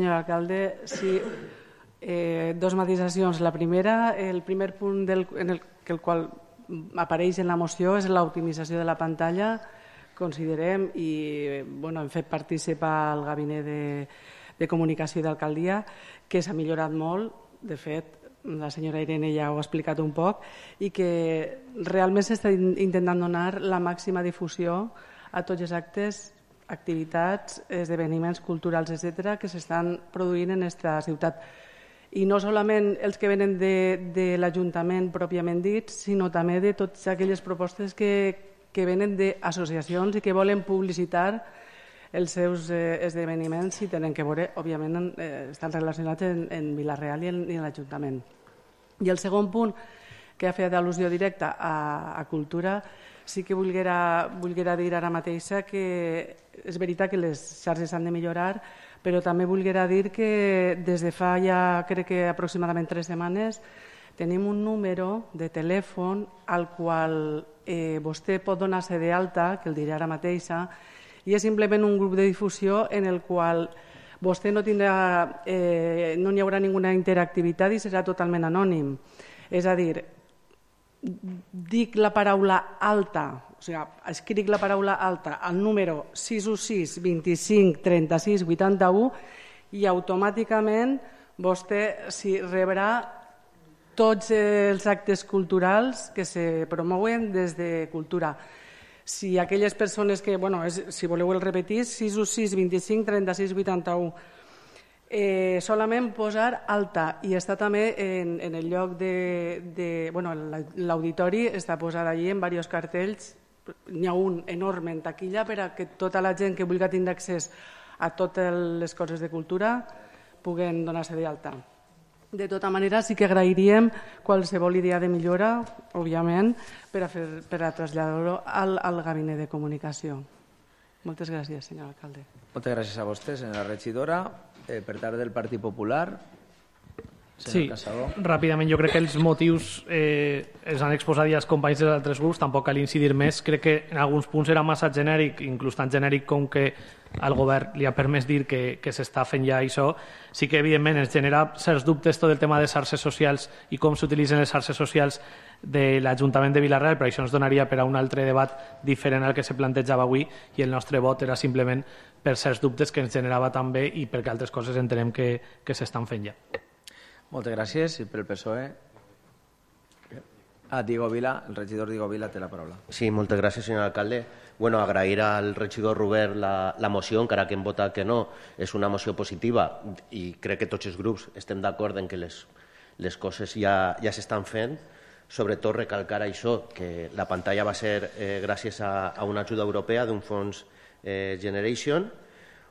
Senyor alcalde, sí, dos matisacions. La primera, el primer punt en el qual apareix en la moció és l'optimització de la pantalla. Considerem, i hem fet participar el gabinet de comunicació d'alcaldia, que s'ha millorat molt. De fet, la senyora Irene ja ho ha explicat un poc, i que realment s'està intentant donar la màxima difusió a tots els actes, activitats, esdeveniments culturals, etc., que s'estan produint en aquesta ciutat. I no solament els que venen de l'Ajuntament pròpiament dit, sinó també de totes aquelles propostes que venen d'associacions i que volen publicitar els seus esdeveniments i tenen que veure, òbviament, estan relacionats en Vila-real i en l'Ajuntament. I el segon punt, que ha fet al·lusió directa a cultura, sí que volguera dir ara mateixa que és veritat que les xarxes s'han de millorar, però també volguera dir que des de fa ja crec que aproximadament 3 setmanes tenim un número de telèfon al qual vostè pot donar-se d'alta, que el diré ara mateixa, i és simplement un grup de difusió en el qual vostè no hi haurà ninguna interactivitat i serà totalment anònim. És a dir, dic la paraula alta, o sigui, escric la paraula alta al número 616 25 36 81 i automàticament vostè rebrà tots els actes culturals que se promouen des de cultura. Si aquelles persones que, si voleu el repetir, 616 25 36 81, solament posar alta, i està també en el lloc l'auditori està posat allí en diversos cartells. N'hi ha un enorme en taquilla per a que tota la gent que vulgui tindre accés a totes les coses de cultura puguen donar-se d'alta. De tota manera, sí que agrairíem qualsevol idea de millora, òbviament, per a traslladar-ho al gabinet de comunicació. Moltes gràcies, senyor alcalde. Moltes gràcies a vostè, senyora regidora. Per part del Partit Popular, sí, ràpidament, jo crec que els motius els han exposat ja els companys dels altres grups, tampoc cal incidir més. Crec que en alguns punts era massa genèric, inclús tan genèric com que al govern li ha permès dir que s'està fent ja això. Sí que evidentment ens genera certs dubtes tot el tema de xarxes socials i com s'utilitzen les xarxes socials de l'Ajuntament de Vila-real, però això ens donaria per a un altre debat diferent al que se plantejava avui, i el nostre vot era simplement per certs dubtes que ens generava també i perquè altres coses entenem que s'estan fent ja. Moltes gràcies. I pel PSOE? Diego Vila, el regidor Diego Vila té la paraula. Sí, moltes gràcies, senyor alcalde. Agrair al regidor Robert la moció, encara que hem votat que no. És una moció positiva i crec que tots els grups estem d'acord en que les coses ja s'estan fent. Sobretot recalcar això, que la pantalla va ser gràcies a una ajuda europea d'un fons Generation,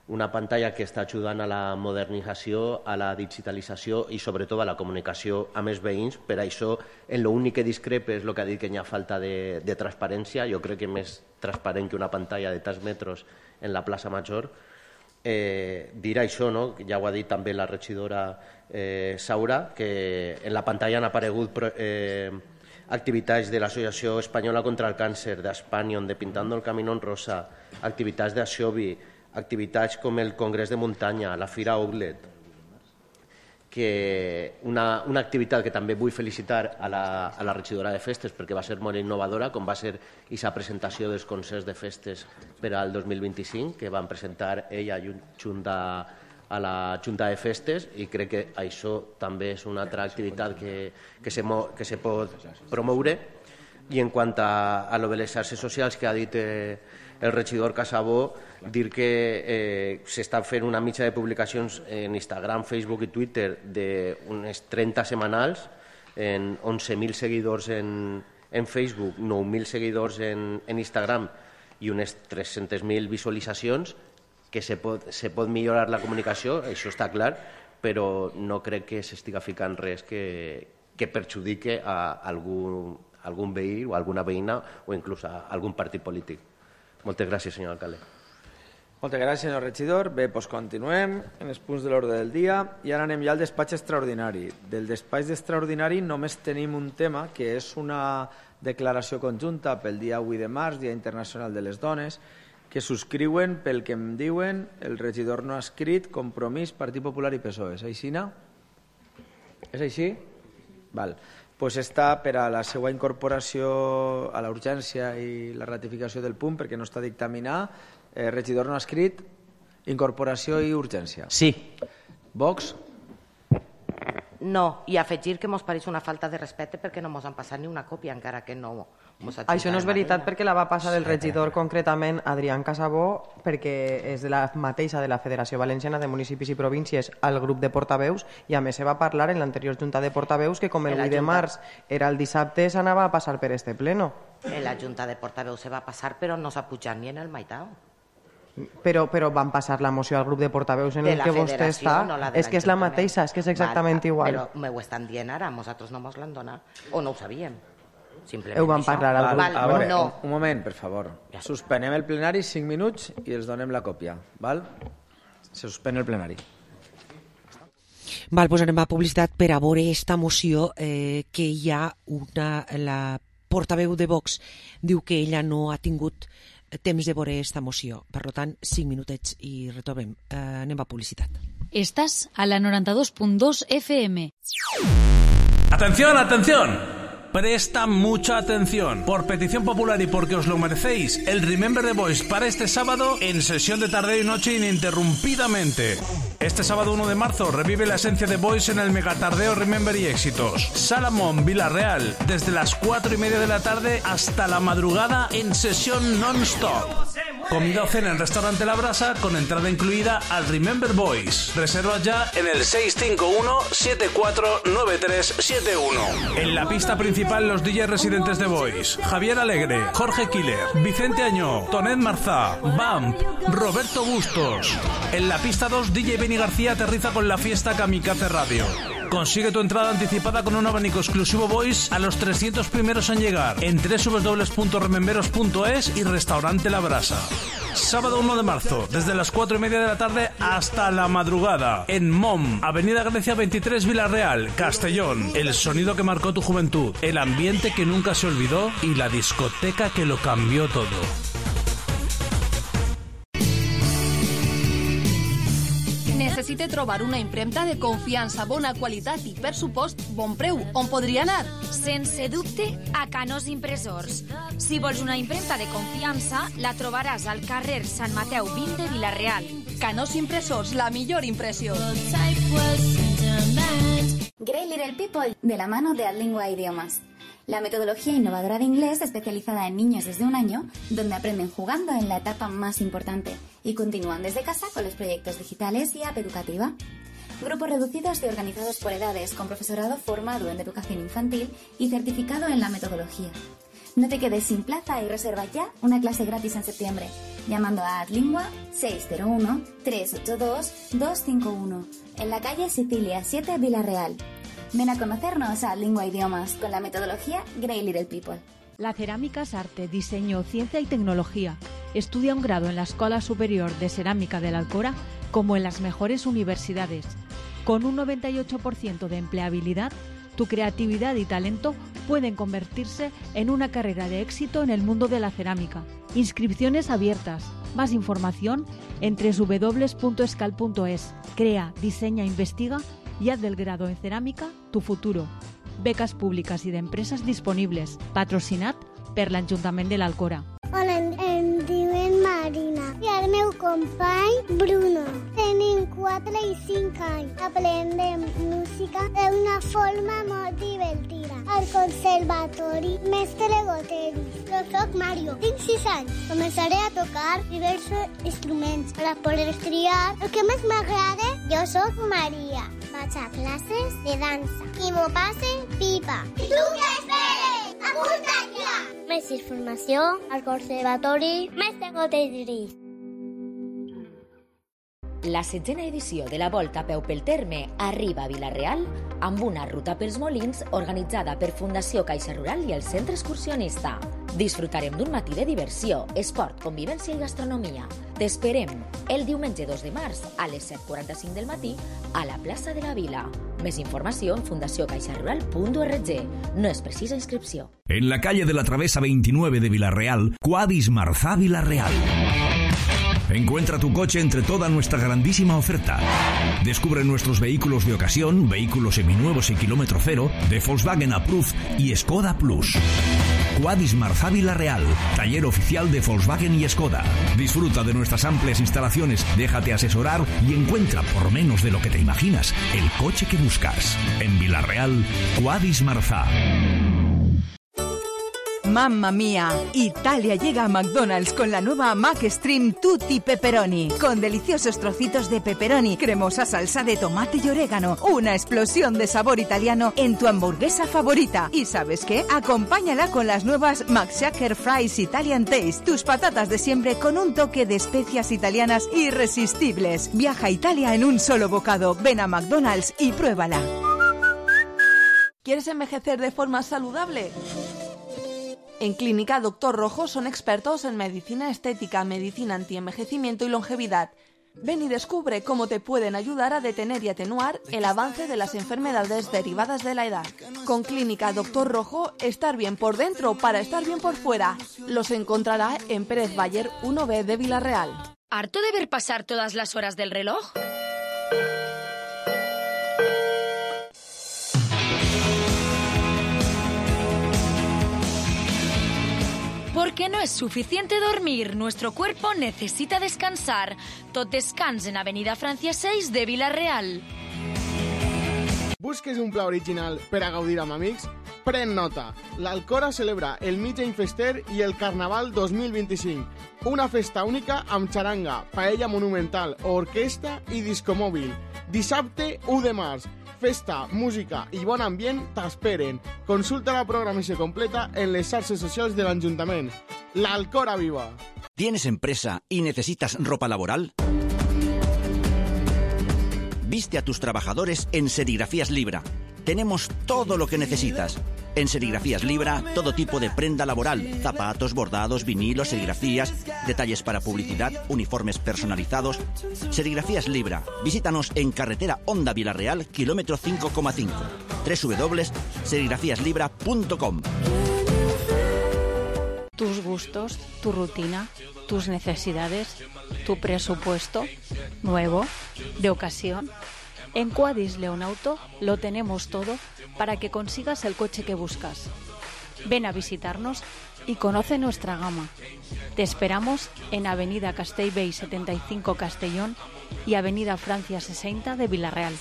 una pantalla que està ajudant a la modernització, a la digitalització i sobretot a la comunicació amb els veïns. Per això, en l'únic que discrepa és el que ha dit, que hi ha falta de transparència. Jo crec que més transparent que una pantalla de tants metres en la plaça Major. Dir això, ja ho ha dit també la regidora Saura, que en la pantalla han aparegut activitats de l'Associació Espanyola contra el Càncer, d'Espanyol, de Pintando el Camino en Rosa, activitats d'Axovi, activitats com el Congrés de Muntanya, la Fira Outlet, que una activitat que també vull felicitar a la regidora de festes perquè va ser molt innovadora, com va ser aquesta presentació dels concerts de festes per al 2025, que van presentar ella junt a la Junta de Festes, i crec que això també és una altra activitat que se pot promoure. I en quant a lo de les xarxes socials que ha dit el regidor Casabó, dir que s'estan fent una mitja de publicacions en Instagram, Facebook i Twitter d'unes 30 setmanals, en 11.000 seguidors en Facebook, 9.000 seguidors en Instagram i unes 300.000 visualitzacions, que se pot millorar la comunicació, això està clar, però no crec que s'estiga ficant res que perjudique a algun veí o alguna veïna o inclús a algun partit polític. Moltes gràcies, senyor alcalde. Moltes gràcies, senyor regidor. Bé, doncs continuem en els punts de l'ordre del dia i ara anem ja al despatx extraordinari. Del despatx extraordinari només tenim un tema, que és una declaració conjunta pel dia 8 de març, Dia Internacional de les Dones, que subscriuen pel que em diuen el regidor no escrit, Compromís, Partit Popular i PSOE. És així, no? És així? Val. Pues està per a la seva incorporació a la urgència i la ratificació del punt, perquè no està dictaminat. Regidor no escrit, incorporació i urgència. Sí. Vox? No, i afegir que mos pareix una falta de respecte perquè no mos han passat ni una còpia encara que no mos ha Això no és veritat perquè la va passar el regidor concretament Adrián Casabó, perquè és de la mateixa de la Federació Valenciana de Municipis i Províncies al grup de portaveus, i a més se va parlar en l'anterior junta de portaveus que com el 8 de març era el dissabte s'anava a passar per este pleno. En la junta de portaveus se va passar però no s'ha pujat ni en el meitat. Però van passar la moció al grup de portaveus en el que vostè està. És que és la mateixa, és que és exactament igual. Però m'ho estan dient ara, nosaltres no mos l'han donat, o no ho sabíem. Ho van parlar al grup. A veure, un moment, per favor. Suspenem el plenari 5 minuts i els donem la còpia. Se suspèn el plenari. Doncs anem a publicitat per a veure esta moció que hi ha la portaveu de Vox diu que ella no ha tingut temps de veure esta moció. Per tant, 5 minutets i retornem. Anem a publicitat. Estàs a la 92.2 FM. ¡Atención, atención! Presta mucha atención. Por petición popular y porque os lo merecéis, el Remember the Boys para este sábado en sesión de tarde y noche ininterrumpidamente. Este sábado 1 de marzo revive la esencia de Boys en el megatardeo Remember y Éxitos. Salamón, Villarreal, desde las 4:30 de la tarde hasta la madrugada en sesión non-stop. Comida o cena en Restaurante La Brasa con entrada incluida al Remember Boys. Reserva ya en el 651-749371. En la pista principal los DJs residentes de Boys: Javier Alegre, Jorge Killer, Vicente Añó, Tonet Marzá, Bamp, Roberto Bustos. En la pista 2 DJ Benny García aterriza con la fiesta Kamikaze Radio. Consigue tu entrada anticipada con un abanico exclusivo Boys a los 300 primeros en llegar en www.rememberos.es y Restaurante La Brasa. Sábado 1 de marzo, desde las 4:30 de la tarde hasta la madrugada, en MOM, Avenida Grecia 23, Villarreal, Castellón. El sonido que marcó tu juventud, el ambiente que nunca se olvidó y la discoteca que lo cambió todo. Necessite trobar una impremta de confiança, bona qualitat i, per supost, bon preu. On podria anar? Sense dubte, a Canós Impressors. Si vols una impremta de confiança, la trobaràs al carrer Sant Mateu 20 de Vila-real. Canós Impressors, la millor impressió. Great Little People, de la mano de Adlingua Idiomas. La metodología innovadora de inglés especializada en niños desde 1 año, donde aprenden jugando en la etapa más importante y continúan desde casa con los proyectos digitales y app educativa. Grupos reducidos y organizados por edades, con profesorado formado en educación infantil y certificado en la metodología. No te quedes sin plaza y reserva ya una clase gratis en septiembre, llamando a Adlingua 601-382-251, en la calle Sicilia 7, Vila-real. Ven a conocernos a Lingua Idiomas con la metodología Great Little People. La cerámica es arte, diseño, ciencia y tecnología. Estudia un grado en la Escuela Superior de Cerámica de la Alcora como en las mejores universidades. Con un 98% de empleabilidad, tu creatividad y talento pueden convertirse en una carrera de éxito en el mundo de la cerámica. Inscripciones abiertas. Más información en www.escal.es. Crea, diseña, investiga y haz del grado en cerámica tu futuro. Becas públiques i d'empreses disponibles. Patrocinat per l'Ajuntament de l'Alcora. Hola, em diuen Marina i el meu company Bruno. Tenim 4 i 5 anys. Aprendem música d'una forma molt divertida. Al conservatori Mestre Goteris. Jo soc Mario, tinc 6 anys. Començaré a tocar diversos instruments per a poder triar el que més m'agrada. Jo soc Maria. Vaig a classes de dansa i m'ho passe pipa. I tu què esperes? Apunta't ja! Més informació al Conservatori Mestre Goteris. La 7ª edició de la Volta a peu pel terme arriba a Vila-real amb una ruta pels Molins organitzada per Fundació Caixa Rural i el Centre Excursionista. Disfrutarem d'un matí de diversió, esport, convivència i gastronomia. T'esperem el diumenge 2 de març a les 7:45 del matí a la plaça de la Vila. Més informació en fundaciocaixarural.org. No es precisa inscripció. En la calle de la Travesa 29 de Villarreal, Cuadis Marzá Villarreal. Encuentra tu coche entre toda nuestra grandísima oferta. Descubre nuestros vehículos de ocasión, vehículos seminuevos y kilómetro cero, de Volkswagen Approved y Skoda Plus. Quadis Marzá Vila-real, taller oficial de Volkswagen y Skoda. Disfruta de nuestras amplias instalaciones, déjate asesorar y encuentra, por menos de lo que te imaginas, el coche que buscas. En Vila-real, Quadis Marzá. ¡Mamma mía! Italia llega a McDonald's con la nueva McStream Tutti Pepperoni, con deliciosos trocitos de pepperoni, cremosa salsa de tomate y orégano, una explosión de sabor italiano en tu hamburguesa favorita. ¿Y sabes qué? Acompáñala con las nuevas McShaker Fries Italian Taste, tus patatas de siempre con un toque de especias italianas irresistibles. Viaja a Italia en un solo bocado. Ven a McDonald's y pruébala. ¿Quieres envejecer de forma saludable? En Clínica Dr. Rojo son expertos en medicina estética, medicina antienvejecimiento y longevidad. Ven y descubre cómo te pueden ayudar a detener y atenuar el avance de las enfermedades derivadas de la edad. Con Clínica Dr. Rojo, estar bien por dentro para estar bien por fuera. Los encontrará en Pérez Bayer 1B de Vila-real. ¿Harto de ver pasar todas las horas del reloj? Porque no es suficiente dormir, nuestro cuerpo necesita descansar. Tot descans en Avenida Francia 6 de Vila-real. Busques un pla original per a gaudir amb amics? Pren nota! L'Alcora celebra el Mitjany Fester i el Carnaval 2025. Una festa única amb xaranga, paella monumental, orquestra i discomòbil. Dissabte 1 de març. Festa, música i bon ambient t'esperen. Consulta la programació completa en les xarxes socials de l'Ajuntament. L'Alcora viva! ¿Tienes empresa y necesitas ropa laboral? Viste a tus trabajadores en Serigrafías Libra. Tenemos todo lo que necesitas. En Serigrafías Libra, todo tipo de prenda laboral, zapatos, bordados, vinilos, serigrafías, detalles para publicidad, uniformes personalizados. Serigrafías Libra. Visítanos en carretera Honda Vila-real, kilómetro 5,5. www.serigrafiaslibra.com. Tus gustos, tu rutina, tus necesidades, tu presupuesto, nuevo, de ocasión. En Quadis León Auto lo tenemos todo para que consigas el coche que buscas. Ven a visitarnos y conoce nuestra gama. Te esperamos en Avenida Castellbell 75 Castellón y Avenida Francia 60 de Vila-real.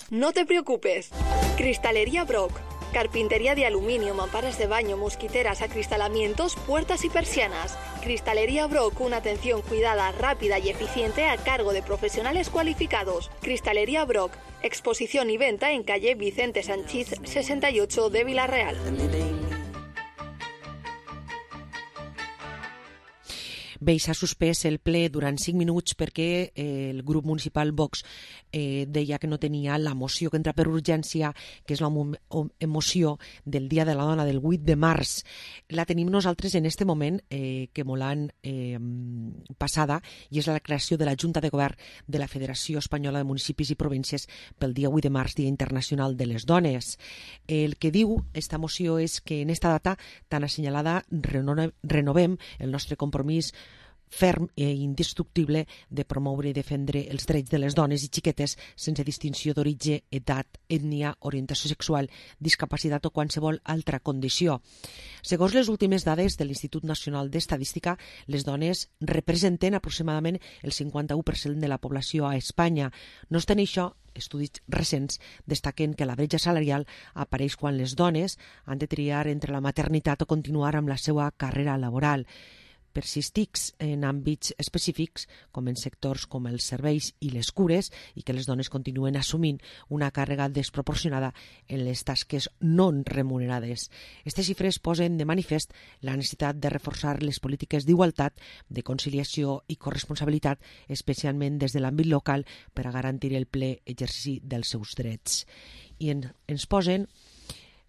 No te preocupes. Cristalería Brock. Carpintería de aluminio, mamparas de baño, mosquiteras, acristalamientos, puertas y persianas. Cristalería Brock, una atención cuidada, rápida y eficiente a cargo de profesionales cualificados. Cristalería Brock, exposición y venta en calle Vicente Sanchís 68 de Vila-real. Bé, s'ha suspès el ple durant 5 minuts perquè el grup municipal Vox deia que no tenia la moció que entra per urgència, que és la moció del Dia de la Dona del 8 de març. La tenim nosaltres en este moment, que molt l'han passada, i és la creació de la Junta de Govern de la Federació Espanyola de Municipis i Províncies pel dia 8 de març, Dia Internacional de les Dones. El que diu esta moció és que en esta data tan assenyalada renovem el nostre compromís ferm i indestructible de promoure i defendre els drets de les dones i xiquetes sense distinció d'origen, edat, ètnia, orientació sexual, discapacitat o qualsevol altra condició. Segons les últimes dades de l'Institut Nacional d'Estadística, les dones representen aproximadament el 51% de la població a Espanya. No obstant això, estudis recents destaquen que la bretxa salarial apareix quan les dones han de triar entre la maternitat o continuar amb la seva carrera laboral. Persistix en àmbits específics, com en sectors com els serveis i les cures, i que les dones continuen assumint una càrrega desproporcionada en les tasques no remunerades. Aquestes xifres posen de manifest la necessitat de reforçar les polítiques d'igualtat, de conciliació i corresponsabilitat, especialment des de l'àmbit local, per a garantir el ple exercici dels seus drets. I ens posen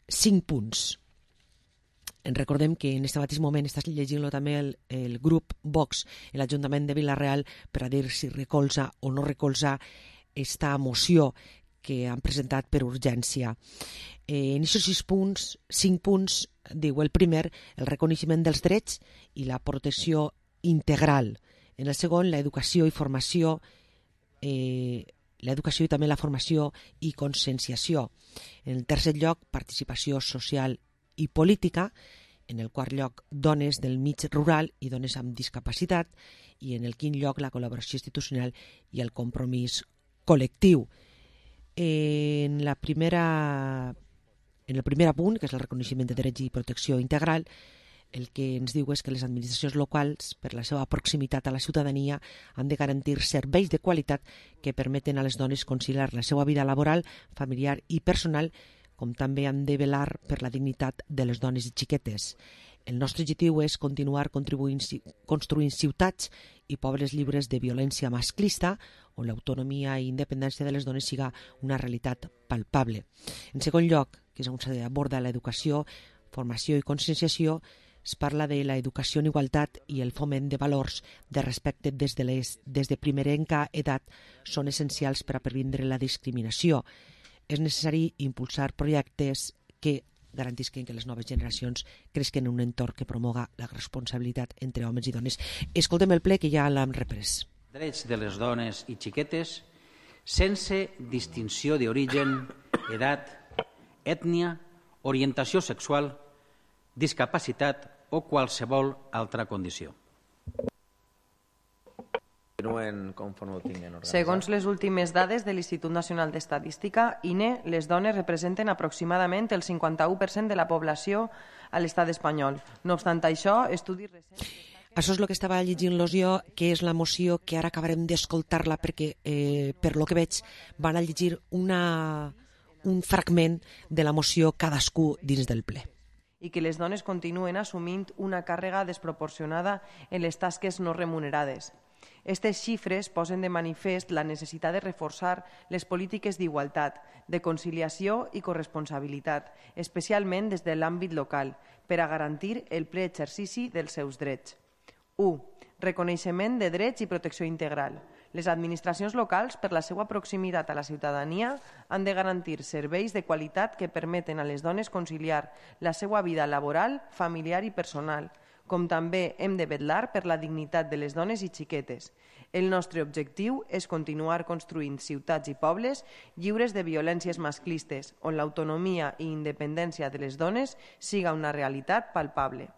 5 punts. Recordem que en aquest mateix moment estàs llegint-lo també el grup Vox, l'Ajuntament de Vila-real, per a dir si recolza o no recolza esta moció que han presentat per urgència. En aquests 5 punts, diu el primer, el reconeixement dels drets i la protecció integral. En el segon, l'educació i formació, l'educació i també la formació i conscienciació. En el tercer lloc, participació social i política. En el quart lloc, dones del mig rural i dones amb discapacitat. I en el quint lloc, la col·laboració institucional i el compromís col·lectiu. En el primer punt, que és el reconeixement de drets i protecció integral, el que ens diu és que les administracions locals, per la seva proximitat a la ciutadania, han de garantir serveis de qualitat que permeten a les dones conciliar la seva vida laboral, familiar i personal, com també han de velar per la dignitat de les dones i xiquetes. El nostre objectiu és continuar construint ciutats i pobles lliures de violència masclista, on l'autonomia i independència de les dones siga una realitat palpable. En segon lloc, que és on s'aborda l'educació, formació i conscienciació, es parla de l'educació en igualtat i el foment de valors de respecte des de primerenca edat són essencials per a previndre la discriminació. És necessari impulsar projectes que garantisquen que les noves generacions cresquen en un entorn que promoga la responsabilitat entre homes i dones. Escoltem el ple que ja l'hem reprès. Drets de les dones i xiquetes sense distinció d'origen, edat, ètnia, orientació sexual, discapacitat o qualsevol altra condició. Segons les últimes dades de l'Institut Nacional d'Estadística, INE, les dones representen aproximadament el 51% de la població a l'estat espanyol. No obstant això, estudis recents... Això és el que estava llegint-los jo, que és la moció que ara acabarem d'escoltar-la perquè, per lo que veig, van a llegir un fragment de la moció cadascú dins del ple. I que les dones continuen assumint una càrrega desproporcionada en les tasques no remunerades. Aquestes xifres posen de manifest la necessitat de reforçar les polítiques d'igualtat, de conciliació i corresponsabilitat, especialment des de l'àmbit local, per a garantir el ple exercici dels seus drets. 1. Reconeixement de drets i protecció integral. Les administracions locals, per la seva proximitat a la ciutadania, han de garantir serveis de qualitat que permeten a les dones conciliar la seva vida laboral, familiar i personal, com també hem de vetllar per la dignitat de les dones i xiquetes. El nostre objectiu és continuar construint ciutats i pobles lliures de violències masclistes, on l'autonomia i independència de les dones siga una realitat palpable.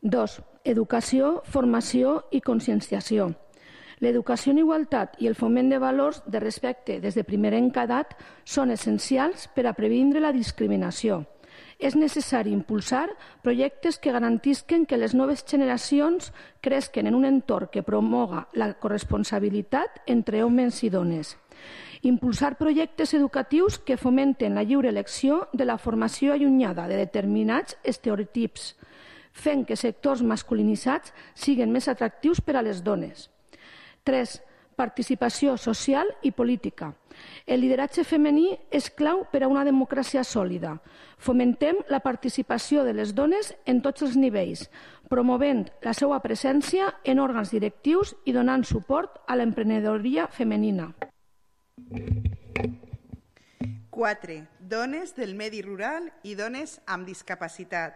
2. Educació, formació i conscienciació. L'educació en igualtat i el foment de valors de respecte des de primerenca edat són essencials per a previndre la discriminació. És necessari impulsar projectes que garantisquen que les noves generacions cresquen en un entorn que promoga la corresponsabilitat entre homes i dones. Impulsar projectes educatius que fomenten la lliure elecció de la formació allunyada de determinats estereotips, fent que sectors masculinitzats siguin més atractius per a les dones. 3. Participació social i política. El lideratge femení és clau per a una democràcia sòlida. Fomentem la participació de les dones en tots els nivells, promovent la seva presència en òrgans directius i donant suport a l'emprenedoria femenina. 4. Dones del medi rural i dones amb discapacitat.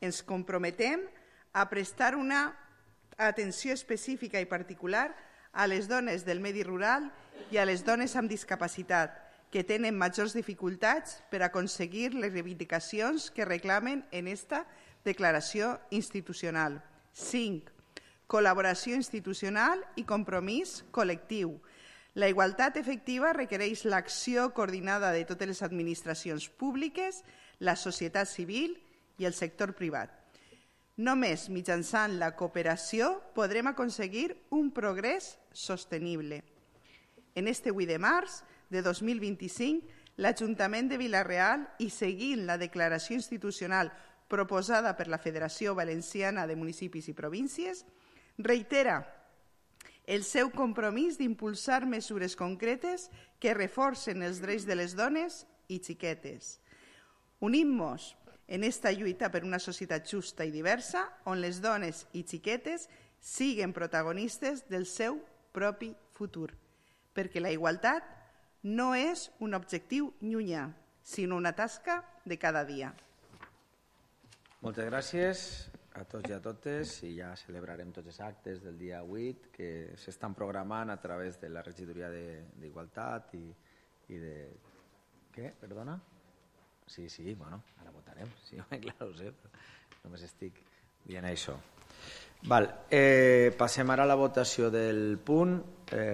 Ens comprometem a prestar una atenció específica i particular a les dones del medi rural i a les dones amb discapacitat, que tenen majors dificultats per aconseguir les reivindicacions que reclamen en esta declaració institucional. 5. Col·laboració institucional i compromís col·lectiu. La igualtat efectiva requereix l'acció coordinada de totes les administracions públiques, la societat civil i el sector privat. Només mitjançant la cooperació podrem aconseguir un progrés sostenible. En este 8 de març de 2025, l'Ajuntament de Vila-real, i seguint la declaració institucional proposada per la Federació Valenciana de Municipis i Províncies, reitera el seu compromís d'impulsar mesures concretes que reforcen els drets de les dones i xiquetes. Unim-nos en esta lluita per una societat justa i diversa, on les dones i xiquetes siguen protagonistes del seu propi futur, perquè la igualtat no és un objectiu llunyà, sinó una tasca de cada dia. Moltes gràcies. a tots i a totes, i ja celebrarem tots els actes del dia 8 que s'estan programant a través de la regidoria d'Igualtat i de... Què? Perdona? Sí, bueno, ara votarem. Sí, clar, ho sé, però només estic dient això. Val, passem ara a la votació del punt.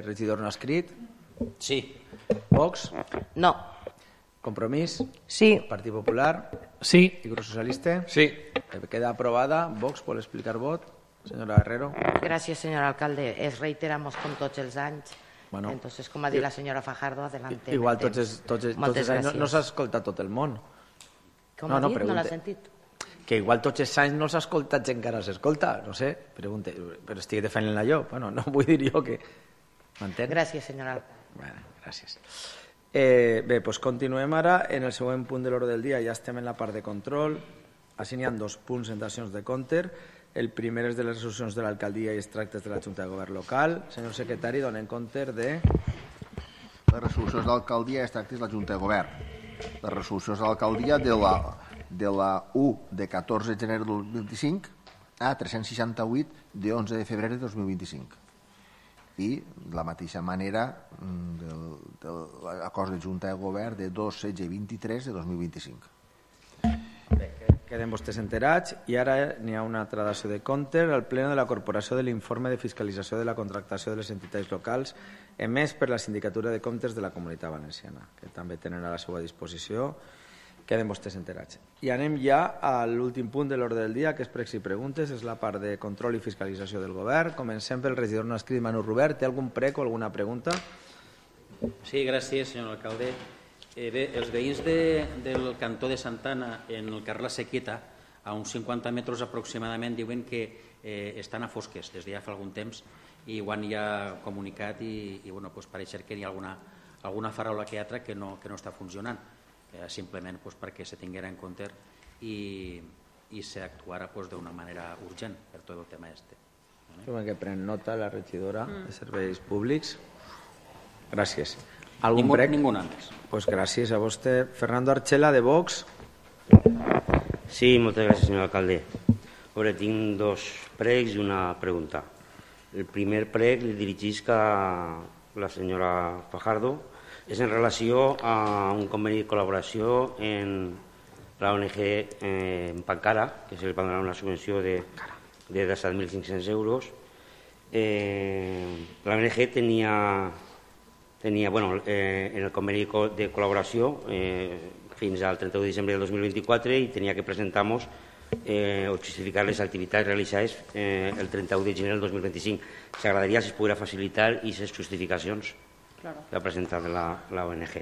Regidor no escrit? Sí. Vox? No. Compromís? Sí. Partit Popular? Sí. I Grup Socialista? Sí. Queda aprobada. Vox, ¿puede explicar vot? Señora Herrero. Gracias, señor alcalde. Es reiteramos con tots els anys. Bueno, entonces, com ha dit la senyora Fajardo, adelante. Igual tots els anys no s'ha escoltat tot el món. Com ha dit? No l'ha sentit? Que igual tots els anys no s'ha escoltat gent que ara s'escolta, no sé, pregunte, però estic defendent-la jo. Bueno, no vull dir jo que... M'entén? Gràcies, senyora. Bueno, gràcies. Bé, doncs continuem ara en el següent punt de l'ordre del dia. Ja estem en la part de control. Així n'hi ha 2 punts en dacions de compte. El primer és de les resolucions de l'alcaldia i els tractes de la Junta de Govern local. Senyor secretari, donen compte de... Les resolucions de l'alcaldia i els tractes de la Junta de Govern. Les resolucions de l'alcaldia de la 1 de 14 de gener de 2025 a 368 de 11 de febrer de 2025. I de la mateixa manera de l'acord de Junta de Govern de 2, 16 i 23 de 2025. Bé, queden vostès enterats i ara n'hi ha una altra dació de compte al Pleno de la Corporació de l'Informe de Fiscalització de la Contractació de les Entitats Locals emès per la Sindicatura de Comptes de la Comunitat Valenciana, que també tenen a la seva disposició. Queden vostès enterats. I anem ja a l'últim punt de l'ordre del dia, que és pregs i preguntes, és la part de control i fiscalització del govern. Comencem pel regidor no escrit Manu Robert. Té algun prec o alguna pregunta? Sí, gràcies, senyor alcalde. Bé, els veïns del cantó de Santana, en el carrer La Sequita, a uns 50 metres aproximadament, diuen que estan a fosques des de ja fa algun temps i ho han ja comunicat i bueno, pues pareix que hi ha alguna farola que altra que no està funcionant. Simplement perquè se tinguera en compte i s'actuara d'una manera urgent per tot el tema este. Que pren nota la regidora de Serveis Públics. Gràcies. Ninguna més. Pues gràcies a vostè. Fernando Archela, de Vox. Sí, moltes gràcies, senyor alcalde. Ahora tinc 2 pregs i una pregunta. El primer preg li dirigisc a la senyora Fajardo. És en relació a un conveni de col·laboració en la ONG en Pancara, que se li va donar una subvenció de 17.500 euros. La ONG tenia en el conveni de col·laboració fins al 31 de desembre del 2024 i tenia que presentar-nos o justificar les activitats realitzades el 31 de gener del 2025. S'agradaria si es poguera facilitar aquestes justificacions que ha presentat la ONG.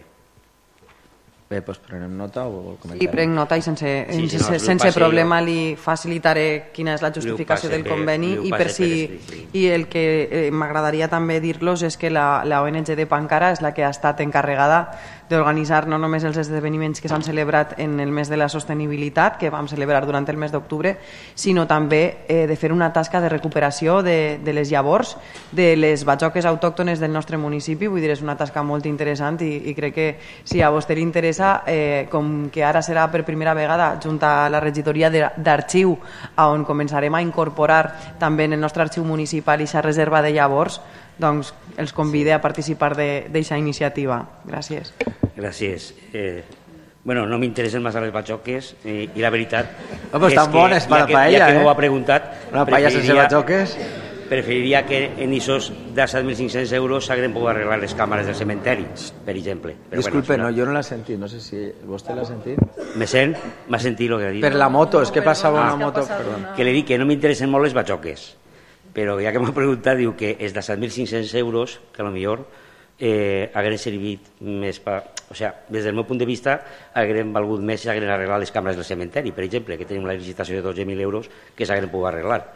Bé, doncs prenem nota o vol comentar? Sí, prenc nota i sense problema li facilitaré quina és la justificació del conveni i el que m'agradaria també dir-los és que la ONG de Pancara és la que ha estat encarregada d'organitzar no només els esdeveniments que s'han celebrat en el mes de la sostenibilitat, que vam celebrar durant el mes d'octubre, sinó també de fer una tasca de recuperació de les llavors de les batxoques autòctones del nostre municipi. Vull dir, és una tasca molt interessant i crec que si a vostè li interessa, com que ara serà per primera vegada junt a la regidoria d'arxiu, on començarem a incorporar també en el nostre arxiu municipal aquesta reserva de llavors, doncs els convide a participar d'aquesta iniciativa. Gràcies. Gràcies. Bueno, no m'interessen massa les batxoques i la veritat és tan bones per la paella, ja que m'ho ha preguntat, una paella sense batxoques, preferiria que en aquests 17.500 euros s'hagueren pogut arreglar les càmeres del cementeri, per exemple. Disculpe, no, jo no l'he sentit, no sé si vostè l'ha sentit. M'ha sentit el que ha dit. Per la moto, és que passava una moto, perdó. Que li dic que no m'interessen molt les batxoques, però ja que m'ha preguntat, diu que els 17.500 euros, que potser hagueren servit més per... O sigui, des del meu punt de vista, hagueren valgut més si hagueren arreglat les càmeres del cementeri, per exemple, que tenim la licitació de 12.000 euros que s'hagueren pogut arreglar.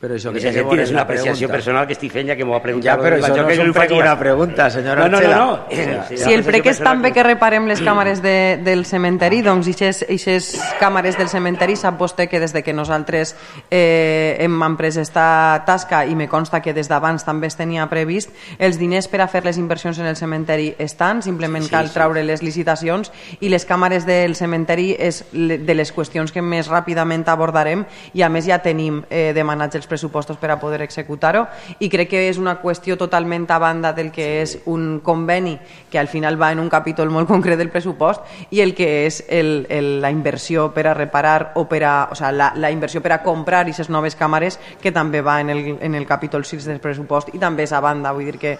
Però això En que aquest té que sentit, veure és en una la apreciació pregunta. personal que estic fent, ja que m'ho ha preguntat. Ja, però això no és un prec una pregunta, senyora Archela. No. Si el prec és també que reparem les càmeres del cementeri, doncs aquestes càmeres del cementeri sap vostè que des de que nosaltres hem emprès esta tasca, i me consta que des d'abans també es tenia previst, els diners per a fer les inversions en el cementeri estan, simplement cal traure les licitacions, i les càmeres del cementeri és de les qüestions que més ràpidament abordarem, i a més ja tenim demanats els pressupostos per a poder executar-ho, i crec que és una qüestió totalment a banda del que és un conveni que al final va en un capítol molt concret del pressupost, i el que és la inversió per a reparar o la inversió per a comprar aquestes noves càmeres, que també va en el capítol 6 del pressupost, i també és a banda. Vull dir que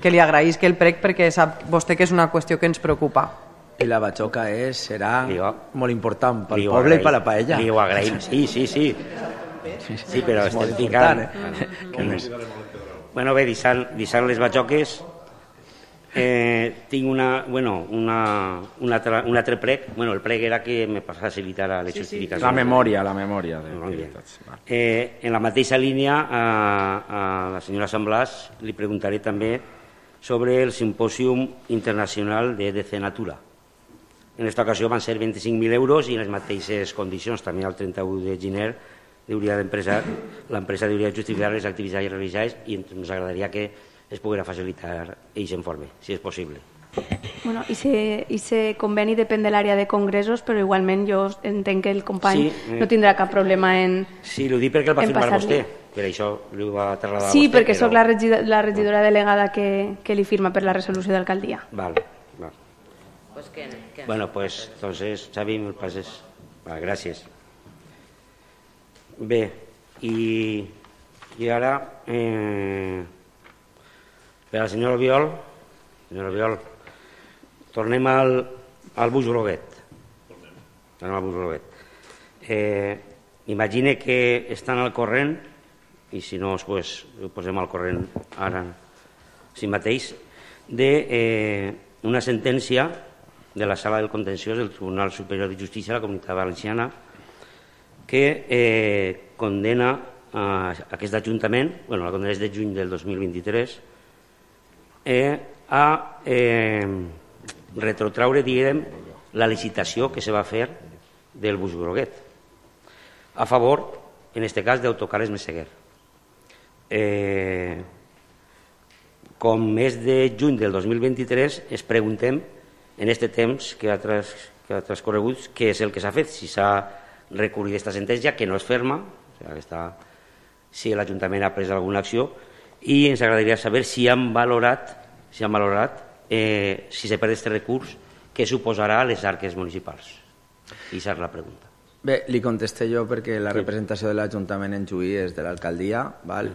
li agraïsc el prec perquè sap vostè que és una qüestió que ens preocupa. I la batxoca serà molt important pel poble i per la paella. Li ho agraïm, sí. Sí, però estem ficant... Bé, deixant les batxoques, tinc un altre prec. El prec era que me facilitara les justificacions. La memòria. En la mateixa línia, a la senyora San Blas li preguntaré també sobre el Simpòsium Internacional de EDC Natura. En aquesta ocasió van ser 25.000 euros i en les mateixes condicions. També el 31 de gener l'empresa hauria de justificar les activitats realitzades, i ens agradaria que es poguera facilitar aquest informe, si és possible. Bueno, ese conveni depèn de l'àrea de congressos, però igualment jo entenc que el company no tindrà cap problema en... Sí, l'ho dic perquè el va firmar vostè, per això l'ho va trasladar Sí, vostè. perquè sóc la regidora delegada que li firma per la resolució d'alcaldia. Val. Bueno, pues entonces, Xavi, me pases. Gràcies. Bé, i ara per a la senyora Albiol, tornem al bus groguet. Imagine que estan al corrent, i si no, pues, ho posem al corrent ara si mateix, d'una sentència de la Sala del Contenciós del Tribunal Superior de Justícia de la Comunitat Valenciana que condena aquest Ajuntament, la condena és de juny del 2023, a retrotraure, diguem, la licitació que se va fer del bus groguet, a favor, en aquest cas, d'Autocares Meseguer. Com és de juny del 2023, es preguntem, en aquest temps que ha transcorregut, què és el que s'ha fet, si s'ha recurrit aquesta sentència, que no és ferma, si l'Ajuntament ha pres alguna acció, i ens agradaria saber si han valorat si se perd aquest recurs, què suposarà a les arques municipals. I aquesta és la pregunta. Bé, li contesté jo perquè la representació de l'Ajuntament en Juí és de l'alcaldia,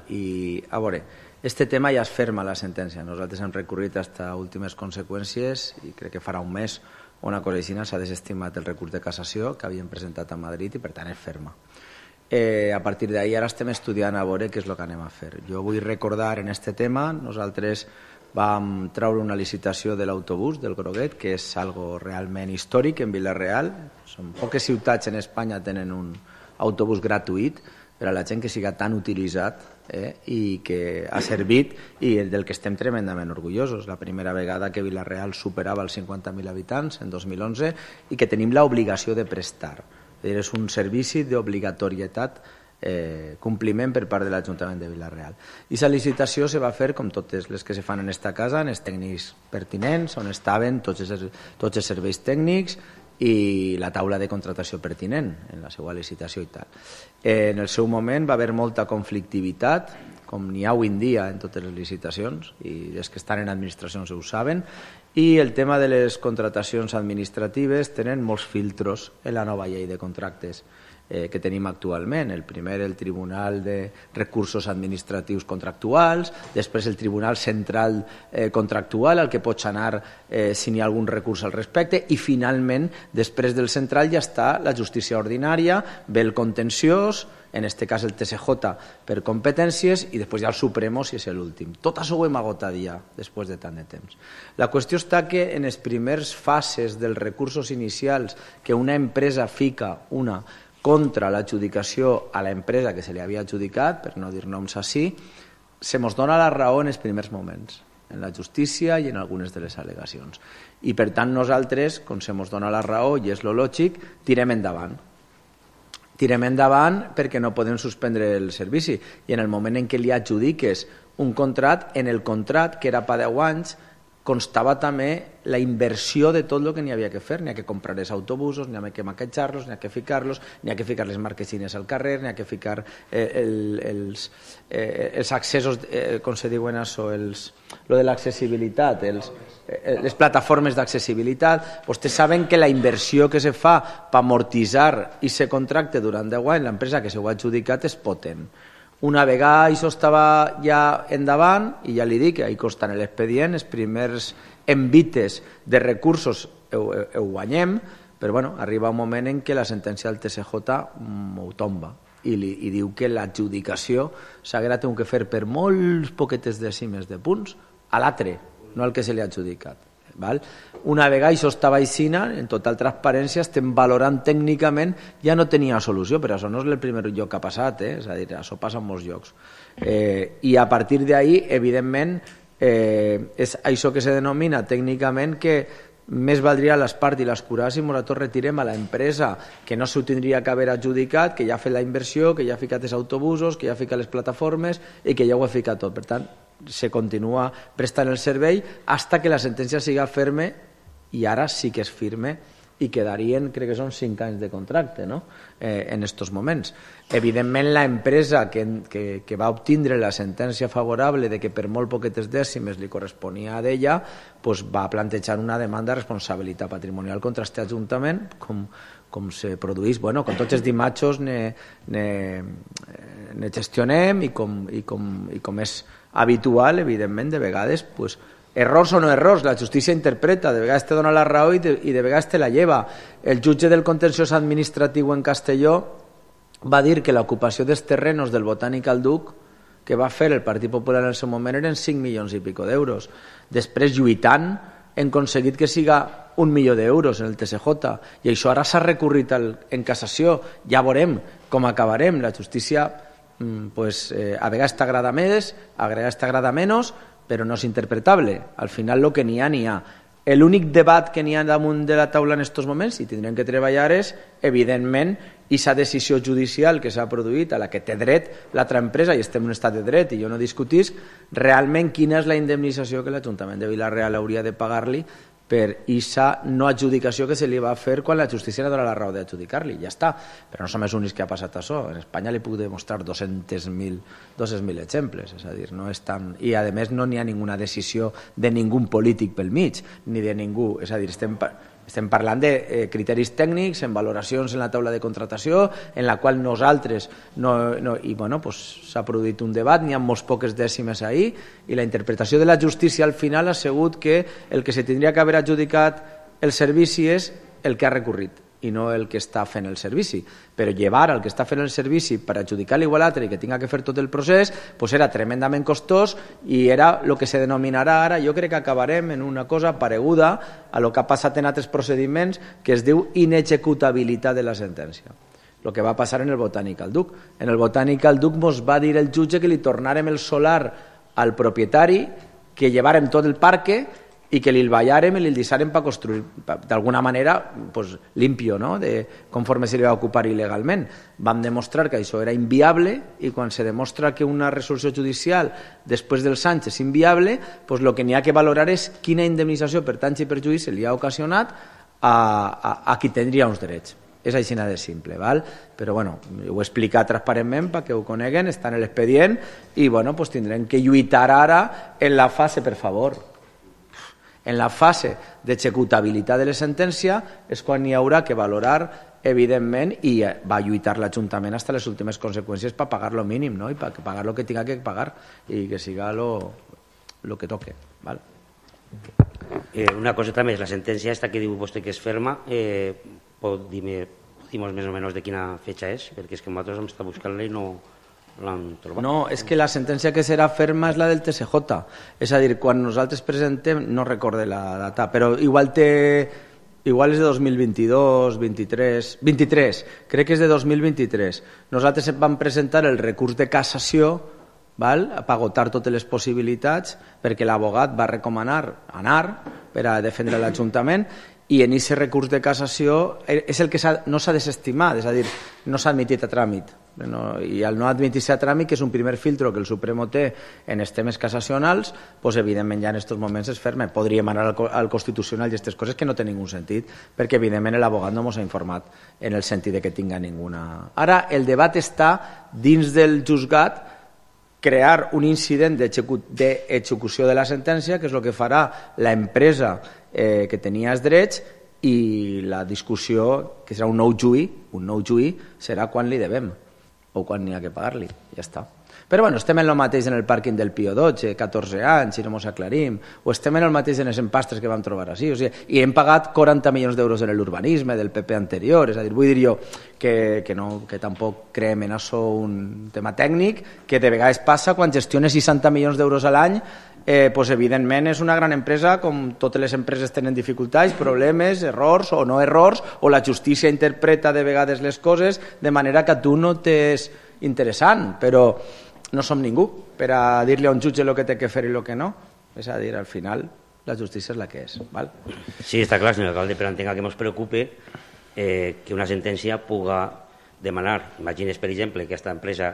i a veure, este tema ja es ferma la sentència. Nosaltres hem recurrit fins a últimes conseqüències i crec que farà un mes o una cosa així s'ha desestimat el recurs de cassació que havíem presentat a Madrid i per tant és ferma. A partir d'ahir ara estem estudiant a veure què és el que anem a fer. Jo vull recordar en aquest tema, nosaltres vam treure una licitació de l'autobús del Groguet, que és algo realment històric en Vila-real. Són poques ciutats en Espanya tenen un autobús gratuït per a la gent que siga tan utilitzat i que ha servit i del que estem tremendament orgullosos. La primera vegada que Vila-real superava els 50.000 habitants en 2011 i que tenim l'obligació de prestar. És un servici d'obligatorietat, compliment per part de l'Ajuntament de Vila-real. I la licitació se va fer com totes les que se fan en esta casa, en els tècnics pertinents, on estaven tots els serveis tècnics i la taula de contratació pertinent en la seva licitació i tal. En el seu moment va haver molta conflictivitat, com n'hi ha avui en dia en totes les licitacions, i els que estan en administracions ho saben, i el tema de les contratacions administratives tenen molts filtros en la nova llei de contractes que tenim actualment. El primer, el Tribunal de Recursos Administratius Contractuals, després el Tribunal Central Contractual, al que pots anar si n'hi ha algun recurs al respecte, i finalment, després del central ja està la justícia ordinària, ve el contenciós, en aquest cas el TSJ per competències, i després ja el Supremo si és l'últim. Tot això ho hem agotat ja després de tant de temps. La qüestió està que en les primeres fases dels recursos inicials que una empresa fica, una contra l'adjudicació a l'empresa que se li havia adjudicat, per no dir noms així, se mos dona la raó en els primers moments, en la justícia i en algunes de les al·legacions. I per tant nosaltres, com se mos dona la raó i és lo lògic, tirem endavant. Tirem endavant perquè no podem suspendre el servici. I en el moment en què li adjudiques un contracte, en el contracte, que era per 10 anys, constava també la inversió de tot el que n'hi havia que fer. N'hi ha que comprar els autobusos, n'hi ha que maquetjar-los, n'hi ha que ficar-los, n'hi ha que ficar les marquesines al carrer, n'hi ha que ficar els accessos, com se diuen això, lo de l'accessibilitat, les plataformes d'accessibilitat. Vostès saben que la inversió que se fa per amortitzar i se contracte durant 10 anys l'empresa que s'ho ha adjudicat és potent. Una vegada això estava ja endavant, i ja li dic, ahí consta en l'expedient, els primers envites de recursos ho guanyem, però bueno, arriba un moment en què la sentència del TSJ ho tomba i diu que l'adjudicació s'haguera tingut que fer per molts poquetes dècimes de punts a l'altre, no al que se li ha adjudicat. Una vegada això estava aixina, en total transparència, estem valorant tècnicament, ja no tenia solució, però això no és el primer lloc que ha passat, és a dir, això passa en molts llocs. I a partir d'ahí, evidentment, és això que se denomina tècnicament que més valdria l'espart i l'escurar si nosaltres retirem a l'empresa que no s'ho tindria que haver adjudicat, que ja ha fet la inversió, que ja ha ficat els autobusos, que ja ha ficat les plataformes i que ja ho ha ficat tot. Per tant, se continua prestant el servei fins que la sentència siga ferme, i ara sí que és firme i quedarien, crec que són 5 anys de contracte, no? En aquests moments. Evidentment, l'empresa que va obtindre la sentència favorable de que per molt poquetes dècimes li corresponia a ella, pues va plantejar una demanda de responsabilitat patrimonial contra aquest Ajuntament, com se produeix, bueno, com tots els dimatxos ne gestionem i com és habitual, evidentment, de vegades, pues, errors o no errors, la justícia interpreta, de vegades te dona la raó i de vegades te la lleva. El jutge del contenciós administratiu en Castelló va dir que l'ocupació dels terrenos del Botànic al Duc que va fer el Partit Popular en el seu moment eren 5 milions i pico d'euros. Després, lluitant, hem aconseguit que siga 1 milió d'euros en el TSJ, i això ara s'ha recorrit en cassació. Ja veurem com acabarem. La justícia a vegades t'agrada més, a vegades t'agrada menys, però no és interpretable. Al final el que n'hi ha. L'únic debat que n'hi ha damunt de la taula en aquests moments, i tindrem que treballar, és, evidentment, aquesta decisió judicial que s'ha produït, a la que té dret l'altra empresa, i estem en un estat de dret, i jo no discutisc, realment quina és la indemnització que l'Ajuntament de Vila-real hauria de pagar-li per aquesta no adjudicació que se li va fer quan la justícia li dona la raó d'adjudicar-li. Ja està. Però no som els únics que ha passat això. En Espanya li puc demostrar 200.000 exemples. És a dir, no és tan... I, a més, no n'hi ha ninguna decisió de ningú polític pel mig, ni de ningú. És a dir, estem parlant de criteris tècnics, en valoracions en la taula de contratació, en la qual nosaltres i bueno, s'ha produït un debat, n'hi ha molts poques dècimes ahir, i la interpretació de la justícia al final ha sigut que el que se tindria que haver adjudicat el servici és el que ha recorrit i no el que està fent el servici. Però llevar el que està fent el servici per adjudicar-li igual a l'altre i que tinga que fer tot el procés era tremendament costós, i era el que se denominarà ara, jo crec que acabarem en una cosa pareguda a el que ha passat en altres procediments, que es diu inexecutabilitat de la sentència. El que va passar en el Botànic al Duc. En el Botànic al Duc ens va dir el jutge que li tornàrem el solar al propietari, que llevàrem tot el parque i que li ballàrem i li deixàrem per construir d'alguna manera limpio, conforme se li va ocupar il·legalment. Vam demostrar que això era inviable, i quan se demostra que una resolució judicial després dels anys és inviable, el que n'hi ha que valorar és quina indemnització per danys i perjudicis li ha ocasionat a qui tindria uns drets. És així de simple, però ho he explicat transparentment perquè ho coneguen, està en l'expedient, i tindrem que lluitar ara en la fase, per favor. En la fase d'executabilitat de la sentència és quan hi haurà que valorar, evidentment, i va lluitar l'Ajuntament fins a les últimes conseqüències per pagar lo mínim, i per pagar el que tinga que pagar i que siga lo que toque. Una coseta més, la sentència esta que diu vostè que és ferma, pot dir-nos més o menys de quina fecha és? Perquè és que nosaltres hem estat buscant-la i no l'han trobat. No, és que la sentència que serà ferma és la del TSJ. És a dir, quan nosaltres presentem, no recorde la data, però igual té Igual és de 2022, 23, crec que és de 2023. Nosaltres vam presentar el recurs de cassació per agotar totes les possibilitats perquè l'abogat va recomanar anar per a defendre l'Ajuntament i en aquest recurs de cassació és el que no s'ha desestimat, és a dir, no s'ha admitit a tràmit. I al no admitir-se a tràmit, que és un primer filtro que el Supremo té en els temes cassacionals, doncs evidentment ja en aquests moments és ferme. Podríem anar al Constitucional i aquestes coses que no tenen ningú sentit, perquè evidentment l'abogat no ens ha informat en el sentit que tinga ninguna... Ara el debat està dins del juzgat crear un incident d'execució de la sentència, que és el que farà l'empresa que tenia els drets, i la discussió, que serà un nou juí, serà quan li devem o quan n'hi ha que pagar-li, ja està. Però bueno, estem en el mateix en el pàrquing del Pío XII, 14 anys, si no ens aclarim, o estem en el mateix en els empastres que vam trobar així, o sigui, i hem pagat 40 milions d'euros en l'urbanisme del PP anterior, és a dir, vull dir jo que tampoc creem en això un tema tècnic, que de vegades passa quan gestiones 60 milions d'euros a l'any, doncs evidentment és una gran empresa, com totes les empreses tenen dificultats, problemes, errors o no errors, o la justícia interpreta de vegades les coses de manera que a tu no t'és interessant, però no som ningú per a dir-li a un jutge el que té que fer i el que no. És a dir, al final, la justícia és la que és. Val? Sí, està clar, senyor alcalde, però entenc que ens preocupe que una sentència puga demanar, imagines, per exemple, que aquesta empresa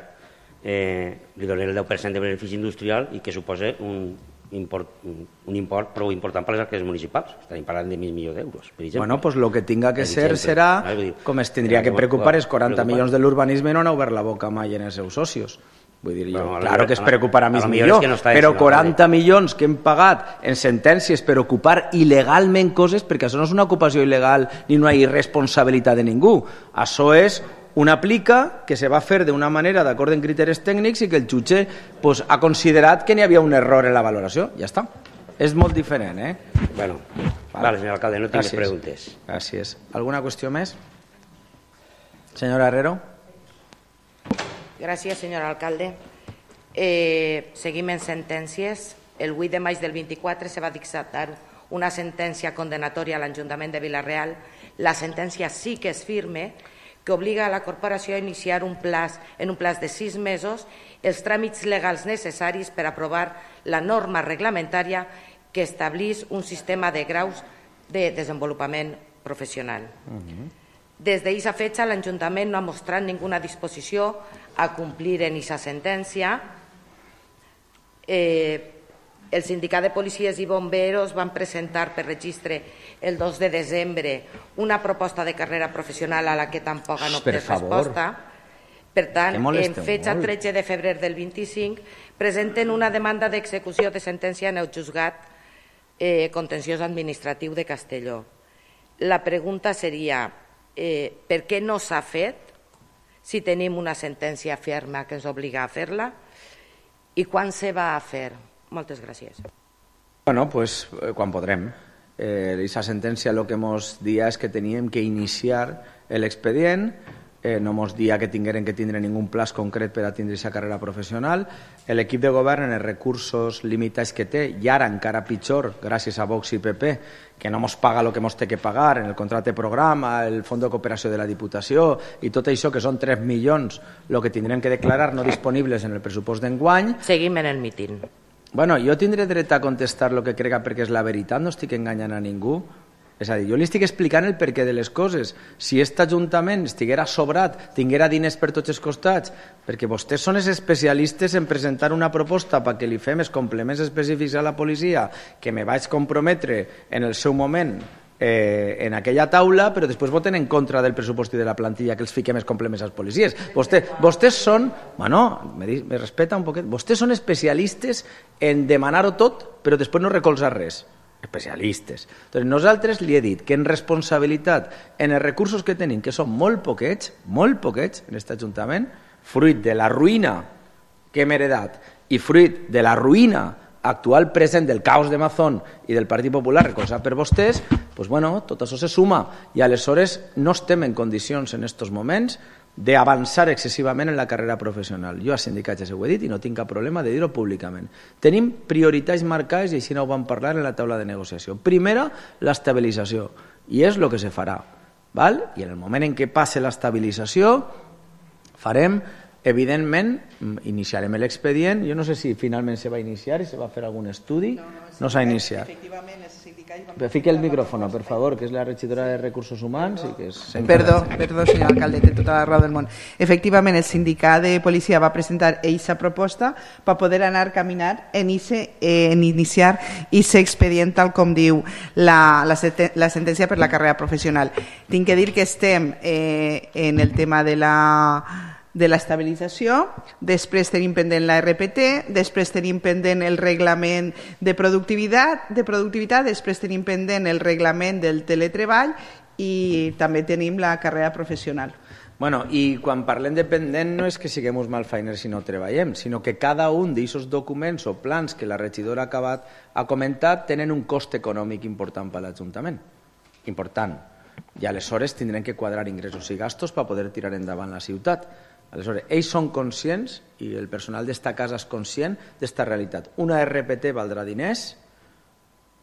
li doni el 10% de benefici industrial i que suposa un import prou important per les arques municipals. Estem parlant de 1.000 milions d'euros, per exemple. Bueno, doncs el que tinga que ser serà, com es tindria que preocupar, és 40 milions de l'urbanisme no han obert la boca mai en els seus socios. Vull dir jo, claro que es preocuparà més millor, però 40 milions que hem pagat en sentències per ocupar il·legalment coses, perquè això no és una ocupació il·legal ni una irresponsabilitat de ningú, això és una plica que se va fer d'una manera d'acord amb criteris tècnics i que el jutge ha considerat que n'hi havia un error en la valoració. Ja està. És molt diferent, eh? Bueno, vale, senyor alcalde, no tinc més preguntes. Gràcies. Alguna qüestió més? Senyora Herrero. Gràcies, senyor alcalde. Seguim en sentències. El 8 de maig del 24 se va dictar una sentència condenatòria a l'Ajuntament de Vila-real. La sentència sí que és firme, que obliga a la corporació a iniciar en un plaç de 6 mesos els tràmits legals necessaris per aprovar la norma reglamentària que establís un sistema de graus de desenvolupament professional. Des d'aquesta fecha, l'Ajuntament no ha mostrat ninguna disposició a complir en aquesta sentència. El sindicat de policies i bomberos van presentar per registre el 2 de desembre una proposta de carrera professional a la que tampoc han obtret resposta. Per tant, en fecha 13 de febrer del 25, presenten una demanda d'execució de sentència en el juzgat contenciós administratiu de Castelló. La pregunta seria, per què no s'ha fet si tenim una sentència ferma que ens obliga a fer-la i quan se va a fer? Moltes gràcies. Bueno, pues quan podrem. Aquesta sentència el que ens dia és que teníem que iniciar l'expedient, no ens dia que tingueren que tindre ningú plaç concret per a tindre aquesta carrera professional. L'equip de govern, en els recursos limitats que té, i ara encara pitjor, gràcies a Vox i PP, que no ens paga el que ens té que pagar en el contracte programa, el fons de cooperació de la Diputació i tot això, que són 3 milions, el que tindrem que declarar no disponibles en el pressupost d'enguany. Seguim en el míting. Bueno, jo tindré dret a contestar el que crega perquè és la veritat, no estic enganyant a ningú. És a dir, jo li estic explicant el perquè de les coses. Si aquest Ajuntament estiguera sobrat, tinguera diners per tots els costats, perquè vostès són els especialistes en presentar una proposta perquè li fem els complements específics a la policia, que me vaig comprometre en el seu moment en aquella taula, però després voten en contra del pressupost i de la plantilla que els fiquem els complements als policies. Vostès són, bueno, me respeta un poquet, vostès són especialistes en demanar-ho tot, però després no recolzar res. Especialistes. Entonces, nosaltres li he dit que en responsabilitat, en els recursos que tenim, que són molt poquets en aquest Ajuntament, fruit de la ruïna que hem heredat i fruit de la ruïna actual present del caos de Mazón i del Partit Popular recolzat per vostès, doncs, bueno, tot això se suma i aleshores no estem en condicions en aquests moments d'avançar excessivament en la carrera professional. Jo a sindicats ja ho he dit i no tinc cap problema de dir-ho públicament. Tenim prioritats marcades i així no ho vam parlar en la taula de negociació. Primera, l'estabilització, i és el que se farà. I en el moment en què passe l'estabilització farem, evidentment, iniciarem l'expedient. Jo no sé si finalment se va iniciar i se va fer algun estudi. No s'ha iniciat. Fique el micrófono, per favor, que és la regidora de Recursos Humans. Perdó, senyor alcalde, té tota la raó del món. Efectivament, el sindicat de policia va presentar aquesta proposta per poder anar caminant en iniciar aquest expedient, tal com diu la sentència per la carrera professional. Tinc que dir que estem en el tema de l'estabilització, després tenim pendent la RPT, després tenim pendent el reglament de productivitat, després tenim pendent el reglament del teletreball i també tenim la carrera professional. Bueno, i quan parlem de pendent no és que siguem uns malfeiners si no treballem, sinó que cada un d'aquests documents o plans que la regidora ha comentat tenen un cost econòmic important per a l'Ajuntament. Important. I aleshores tindrem que quadrar ingressos i gastos per poder tirar endavant la ciutat. Aleshores, ells són conscients i el personal d'esta casa és conscient d'esta realitat. Una RPT valdrà diners,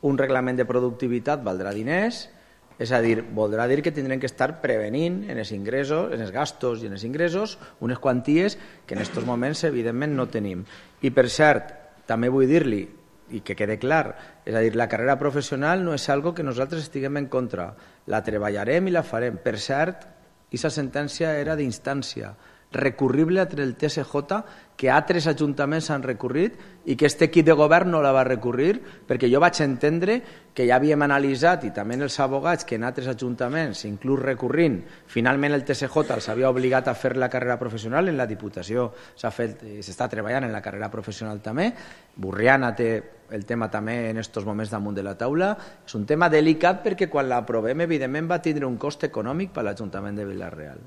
un reglament de productivitat valdrà diners, és a dir, voldrà dir que tindrem que estar prevenint en els ingressos, en els gastos i en els ingressos unes quanties que en aquests moments evidentment no tenim. I per cert, també vull dir-li, i que quede clar, és a dir, la carrera professional no és algo que nosaltres estiguem en contra, la treballarem i la farem. Per cert, aquesta sentència era d'instància recurrible entre el TSJ, que altres ajuntaments han recurrit i que aquest equip de govern no la va recurrir, perquè jo vaig entendre que ja havíem analitzat, i també els abogats, que en altres ajuntaments, inclús recurrint, finalment el TSJ els havia obligat a fer la carrera professional. En la Diputació s'està treballant en la carrera professional també. Burriana té el tema també en aquests moments damunt de la taula. És un tema delicat perquè quan l'aprovem, evidentment, va tindre un cost econòmic per a l'Ajuntament de Vila-real.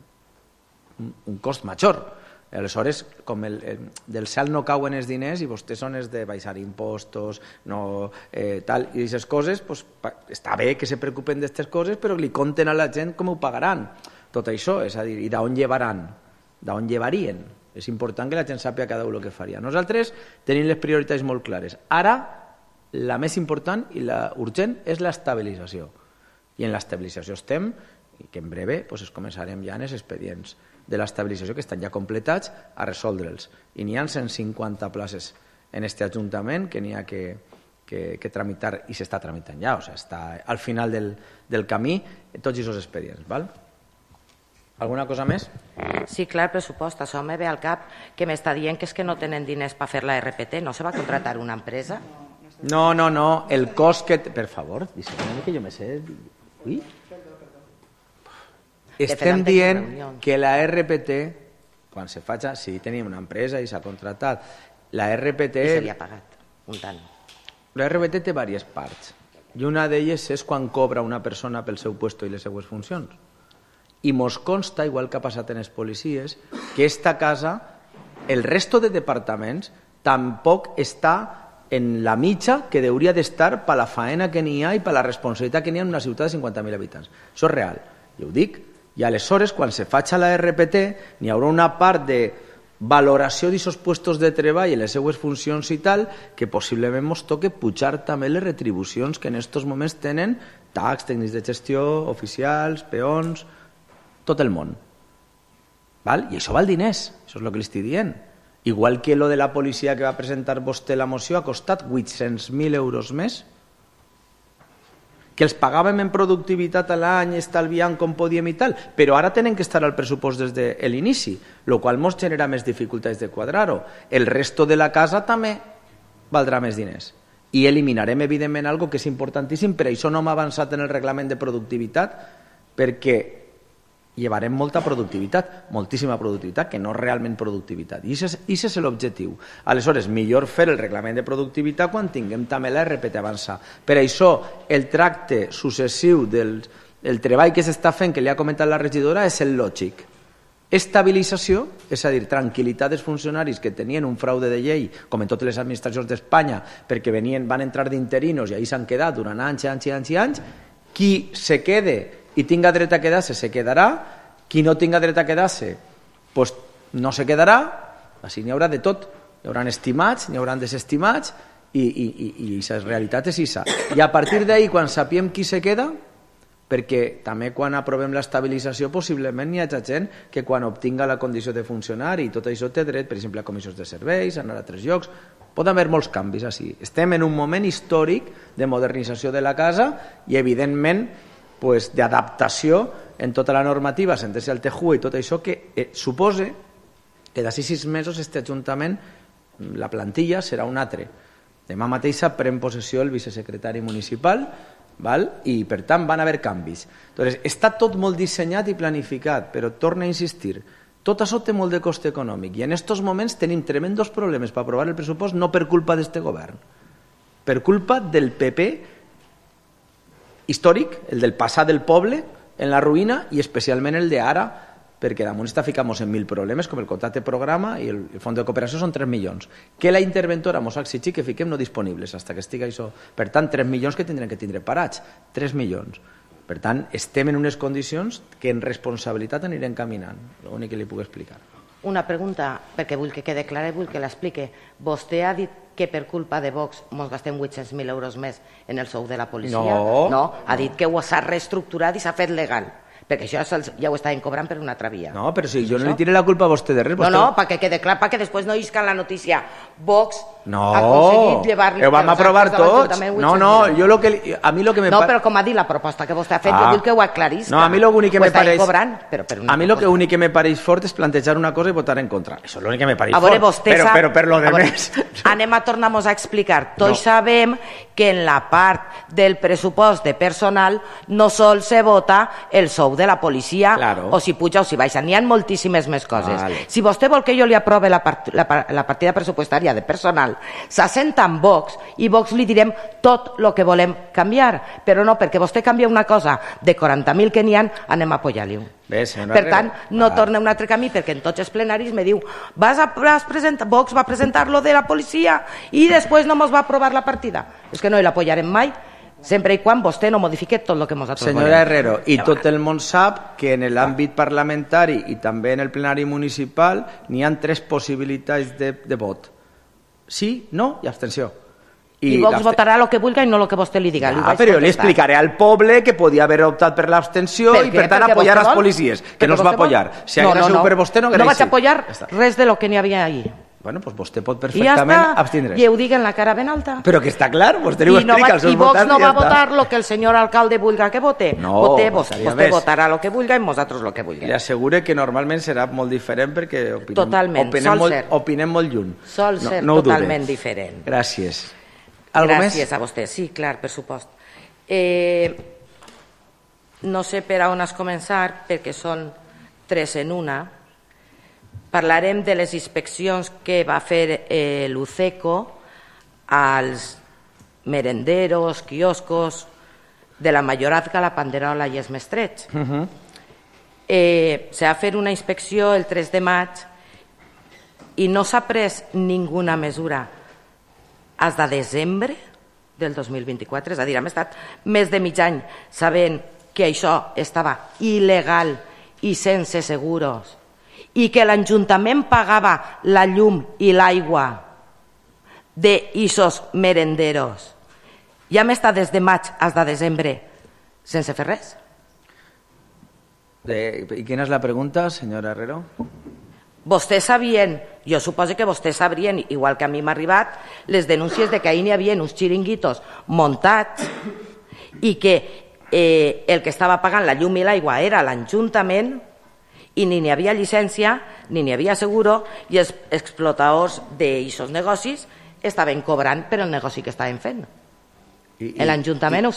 Un cost major. Aleshores, com del cel no cauen els diners i vostès són els de baixar impostos i aquestes coses, està bé que se preocupen d'aquestes coses, però li conten a la gent com ho pagaran. Tot això, és a dir, i d'on llevaran? D'on llevarien? És important que la gent sàpiga cada un el que faria. Nosaltres tenim les prioritats molt clares. Ara, la més important i la urgent és l'estabilització. I en l'estabilització estem, i que en breve es començarem ja en els expedients de l'estabilització que estan ja completats a resoldre'ls. I n'hi ha 150 places en aquest Ajuntament que n'hi ha que tramitar i s'està tramitant ja, o sigui, està al final del camí tots aquests expedients. Alguna cosa més? Sí, clar, el pressupost. Això me ve al cap que m'està dient que és que no tenen diners per fer la RPT. No se va contratar una empresa? No, el cost que... Per favor, deixa'm que jo me sé... Ui? Estem dient que la RPT, quan se faci, sí, tenim una empresa i s'ha contratat, la RPT... I s'havia pagat, un tant. La RPT té diverses parts, i una d'elles és quan cobra una persona pel seu puesto i les seues funcions. I mos consta, igual que ha passat en les policies, que esta casa, el resto de departaments, tampoc està en la mitja que hauria d'estar per la faena que n'hi ha i per la responsabilitat que n'hi ha en una ciutat de 50.000 habitants. Això és real, jo ho dic. I aleshores, quan se faci la RPT, n'hi haurà una part de valoració d'aquests puestos de treball i les seues funcions i tal, que possiblement ens toque pujar també les retribucions que en aquests moments tenen tacs, tècnics de gestió, oficials, peons, tot el món. I això val diners, això és el que li estic dient. Igual que lo de la policia que va presentar vostè la moció ha costat 800.000 euros més, que els pagàvem en productivitat a l'any, estalviant com podíem i tal, però ara tenen que estar al pressupost des de l'inici, el qual ens genera més dificultats de quadrar-ho. El resto de la casa també valdrà més diners. I eliminarem, evidentment, algo que és importantíssim, per això no hem avançat en el reglament de productivitat, perquè llevarem molta productivitat, moltíssima productivitat, que no és realment productivitat. I aquest és l'objectiu. Aleshores, millor fer el reglament de productivitat quan tinguem també la RPT avançar. Per això, el tracte successiu del treball que s'està fent, que li ha comentat la regidora, és el lògic. Estabilització, és a dir, tranquil·litat dels funcionaris que tenien un fraude de llei, com en totes les administracions d'Espanya, perquè van entrar d'interinos i ahí s'han quedat durant anys i anys i anys i anys. Qui se quede i tinga dret a quedar-se, se quedarà. Qui no tinga dret a quedar-se, doncs no se quedarà. Així n'hi haurà de tot. Hi haurà estimats, n'hi haurà desestimats, i la realitat és això. I a partir d'ahí, quan sapiem qui se queda, perquè també quan aprovem l'estabilització possiblement hi ha gent que quan obtinga la condició de funcionari i tot això té dret, per exemple, a comissions de serveis, a anar a altres llocs. Poden haver molts canvis així. Estem en un moment històric de modernització de la casa i, evidentment, d'adaptació en tota la normativa, sentir-se al TJUE i tot això que suposa que d'ací 6 mesos este Ajuntament, la plantilla serà un altre. Demà mateixa pren possessió el vicesecretari municipal, i per tant van haver canvis. Està tot molt dissenyat i planificat, però torna a insistir, tot això té molt de cost econòmic i en aquests moments tenim tremendos problemes per aprovar el pressupost, no per culpa d'este govern, per culpa del PP històric, el del passat del poble en la ruïna i especialment el d'ara, perquè damunt està ficant-nos en 1.000 problemes, com el contracte programa i el fons de cooperació són 3 milions, que la interventora ens ha exigit que fiquem no disponibles fins que estigui això. Per tant, 3 milions que tindrem que tindre parats, 3 milions. Per tant, estem en unes condicions que en responsabilitat anirem caminant, l'únic que li puc explicar. Una pregunta, perquè vull que quede clara i vull que l'explique. Vostè ha dit que per culpa de Vox ens gastem 800.000 euros més en el sou de la policia? No, ha dit que s'ha reestructurat i s'ha fet legal. Perquè això ja ho estaven cobrant per una altra via. No, però si jo no li tiré la culpa a vostè de res. No, perquè quede clar, perquè després no isca la notícia. Vox ha aconseguit llevar-li... No, ho vam aprovar tots. No, a mi lo que me... No, però com ha dit la proposta que vostè ha fet, jo vull que ho aclarisca. No, a mi l'únic que me pareix... A mi l'únic que me pareix fort és plantejar una cosa i votar en contra. Això és l'únic que me pareix fort. A veure, vostè sap... Però per lo de més... Anem a tornar-nos a explicar. Tots sabem que en la part del pressupost de personal no sol se vota el sou de la policia, o si puja o si baixa. N'hi ha moltíssimes més coses. Si vostè vol que jo li aprove la partida pressupostària de personal, s'assenta amb Vox i Vox li direm tot el que volem canviar, però no, perquè vostè canvia una cosa de 40.000 que n'hi ha, anem a apoyar-li-ho. Per tant, no torna un altre camí, perquè en tots els plenaris me diu Vox va presentar lo de la policia i després no mos va aprovar la partida. És que no l'apoyarem mai, sempre i quan vostè no modifique tot el que nosaltres volem. Senyora Herrero, i tot el món sap que en l'àmbit parlamentari i també en el plenari municipal n'hi ha 3 possibilitats de vot. Sí, no i abstenció. I Vox votarà el que vulgui i no el que vostè li diga. Però jo li explicaré al poble que podia haver optat per l'abstenció i per tant apoyar les policies, que no es va apoyar. Si hagués sigut per vostè no hagués sigut. No vaig apoyar res de lo que n'hi havia ahí. Bueno, doncs vostè pot perfectament abstindre's. I ho dic en la cara ben alta. Però que està clar, vostè li ho explica als seus votants. I Vox no va votar el que el senyor alcalde vulga que vote. Vostè votarà el que vulga i nosaltres el que vulguem. Li assegure que normalment serà molt diferent perquè opinem molt lluny. Sol ser totalment diferent. Gràcies. Gràcies a vostè. Sí, clar, per supost. No sé per on has començar, perquè són 3 en una. Parlarem de les inspeccions que va fer l'UCECO als merenderos, quioscos de la Mayorazga, la Panderola i els Mestrets. Se va fer una inspecció el 3 de maig i no s'ha pres ninguna mesura fins de desembre del 2024. És a dir, hem estat més de mig any sabent que això estava il·legal i sense seguros i que l'Ajuntament pagava la llum i l'aigua d'ixos merenderos. Ja hem estat des de maig fins de desembre sense fer res. I quina és la pregunta, senyora Herrero? Vostès sabien, jo suposo que vostès sabrien, igual que a mi m'ha arribat, les denúncies de que ahir n'hi havia uns xiringuitos muntats i que el que estava pagant la llum i l'aigua era l'Ajuntament i ni n'hi havia llicència, ni n'hi havia seguro, i els explotadors d'aixòs negocis estaven cobrant per el negoci que estaven fent. L'Ajuntament...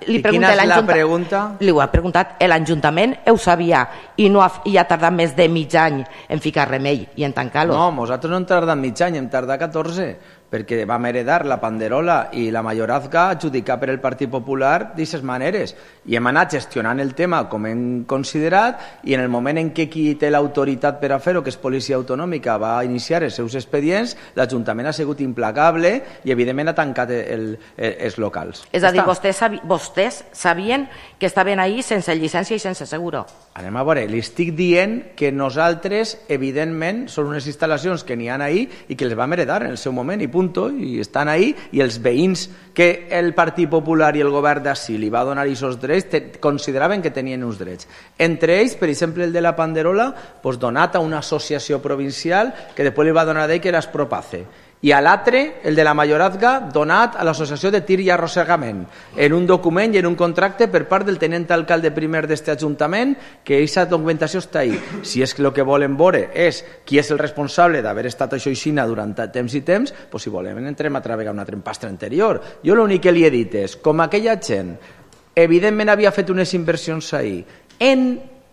I quina és la pregunta? Li ho ha preguntat. L'Ajuntament ho sabia i ha tardat més de mig any en ficar remei i en tancar-los. No, nosaltres no hem tardat mig any, hem tardat 14, perquè vam heredar la Panderola i la Mayorazga adjudicar per el Partit Popular d'aquestes maneres. I hem anat gestionant el tema com hem considerat i en el moment en què qui té l'autoritat per a fer-ho, que és Policia Autonòmica, va iniciar els seus expedients, l'Ajuntament ha sigut implacable i evidentment ha tancat els locals. És a dir, vostès sabien que estaven ahí sense llicència i sense seguro. Anem a veure, li estic dient que nosaltres, evidentment, són unes instal·lacions que n'hi ha ahí i que les vam heredar en el seu moment i punto, i estan ahí, i els veïns que el Partit Popular i el govern d'ací li va donar aquests drets consideraven que tenien uns drets. Entre ells, per exemple, el de la Panderola, donat a una associació provincial que després li va donar d'ell que era Espropace. I a l'altre, el de la Mayorazga, donat a l'Associació de Tir i Arrossegament, en un document i en un contracte per part del tenent alcalde primer d'aquest Ajuntament, que aquesta documentació està ahí. Si és que el que volen veure és qui és el responsable d'haver estat això aixina durant temps i temps, si volem entrem a treballar una trempastra anterior. Jo l'únic que li he dit és, com aquella gent, evidentment havia fet unes inversions ahí,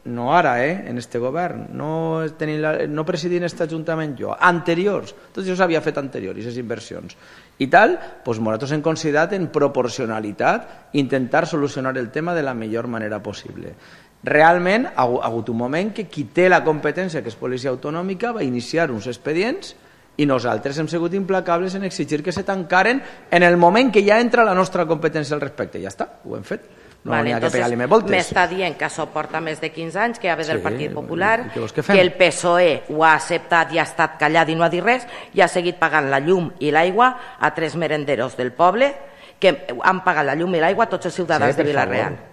no ara, en este govern, no presidint aquest Ajuntament jo, anteriors, tot això s'havia fet anterior, aquestes inversions. I tal, nosaltres hem considerat en proporcionalitat intentar solucionar el tema de la millor manera possible. Realment, ha hagut un moment que qui té la competència, que és Policia Autonòmica, va iniciar uns expedients i nosaltres hem sigut implacables en exigir que se tancaren en el moment que ja entra la nostra competència al respecte. Ja està, ho hem fet. No n'hi ha que pegar-li més voltes. M'està dient que això porta més de 15 anys, que ja ve del Partit Popular, que el PSOE ho ha acceptat i ha estat callat i no ha dit res, i ha seguit pagant la llum i l'aigua a 3 merenderos del poble, que han pagat la llum i l'aigua a tots els ciutadans de Vila-real.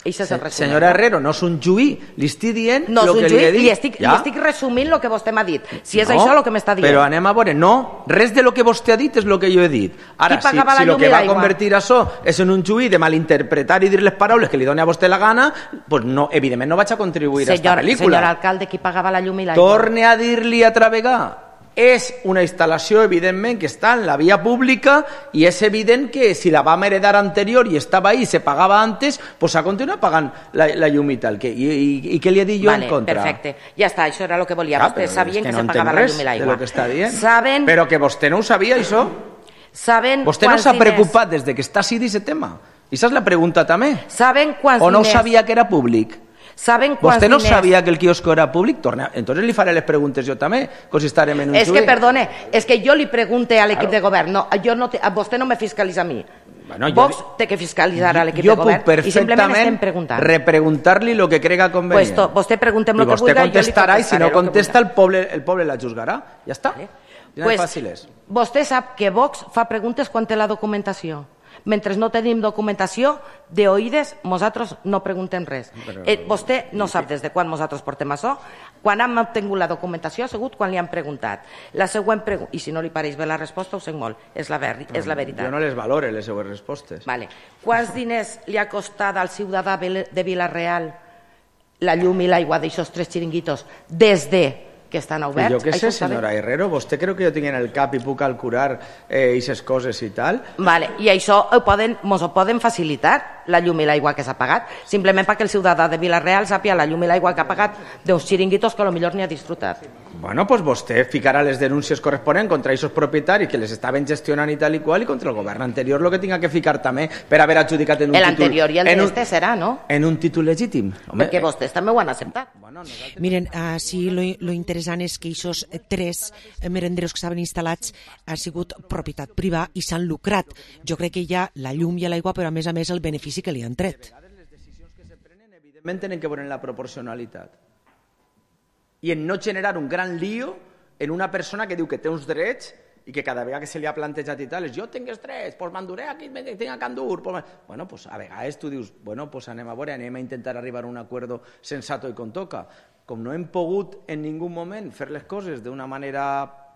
Senyora Herrero, no és un juí, li estic dient el que li he dit. Li estic resumint el que vostè m'ha dit. Si és això el que m'està dient. Però anem a veure, no, res de lo que vostè ha dit és el que jo he dit. Ara, si el que va convertir això és en un juí de malinterpretar i dir les paraules que li doni a vostè la gana, evidentment no vaig a contribuir a aquesta pel·lícula. Senyor alcalde, qui pagava la llum i l'aigua? Torne a dir-li a travegar. És una instal·lació, evidentment, que està en la via pública i és evident que si la vam heredar anterior i estava ahí i se pagava antes, s'ha continuat pagant la llum i tal. I què li he dit jo en contra? Perfecte, ja està, això era el que volia. Vostès sabien que se pagava la llum i l'aigua. No entenc res de lo que està dient. Però que vostè no ho sabia, això. Vostè no s'ha preocupat des que està així d'aquest tema. I aquesta és la pregunta també. O no sabia que era públic? ¿Vostè no sabia que el quiosco era públic? Entonces li faré les preguntes jo també, com si estarem en un juí. És que, perdone, és que jo li pregunte a l'equip de govern, vostè no me fiscalitza a mi. Vox té que fiscalitzar a l'equip de govern i simplement estem preguntant. Jo puc perfectament repreguntar-li el que crega convenient. Vostè preguntem el que vulgui. I vostè contestarà i si no contesta el poble la juzgarà. Ja està. Vostè sap que Vox fa preguntes quan té la documentació. Mentre no tenim documentació, d'oïdes, nosaltres no preguntem res. Vostè no sap des de quan nosaltres portem això. Quan hem obtingut la documentació ha sigut quan li han preguntat. La següent pregunta, i si no li pareix bé la resposta, ho sé molt, és la veritat. Jo no les valore, les seues respostes. Quants diners li ha costat al ciutadà de Vila-real la llum i l'aigua d'aixòs 3 xiringuitos des de que estan oberts? Jo què sé, senyora Herrero, vostè creu que jo tinc en el cap i puc calcular aquestes coses i tal? I això mos ho poden facilitar, la llum i l'aigua que s'ha pagat, simplement perquè el ciutadà de Vila-real sàpia la llum i l'aigua que ha pagat d'uns xiringuitos que potser ni ha disfrutat. Bueno, doncs vostè ficarà les denúncies corresponents contra aquests propietaris que les estaven gestionant i tal i qual i contra el govern anterior el que tinga que ficar també per haver adjudicat en un títol... L'anterior i el d'este serà, no? En un títol legítim. Perquè vostès també ho han acceptat. Miren, sí, lo interessant és que aquests 3 merenderos que estaven instal·lats han sigut propietat privada i s'han lucrat. Jo crec que hi ha la llum i l'aigua, però a més el benefici que li han tret. Les decisions que se prenen, evidentment, tenen que veure en la proporcionalitat. I en no generar un gran lío en una persona que diu que té uns drets i que cada vegada que se li ha plantejat i tal és jo tinc els drets, doncs m'enduré aquí, tinc a Can Dur. Bueno, doncs a vegades tu dius, bueno, doncs anem a veure, anem a intentar arribar a un acuerdo sensato i com toca. Com no hem pogut en ningú moment fer les coses d'una manera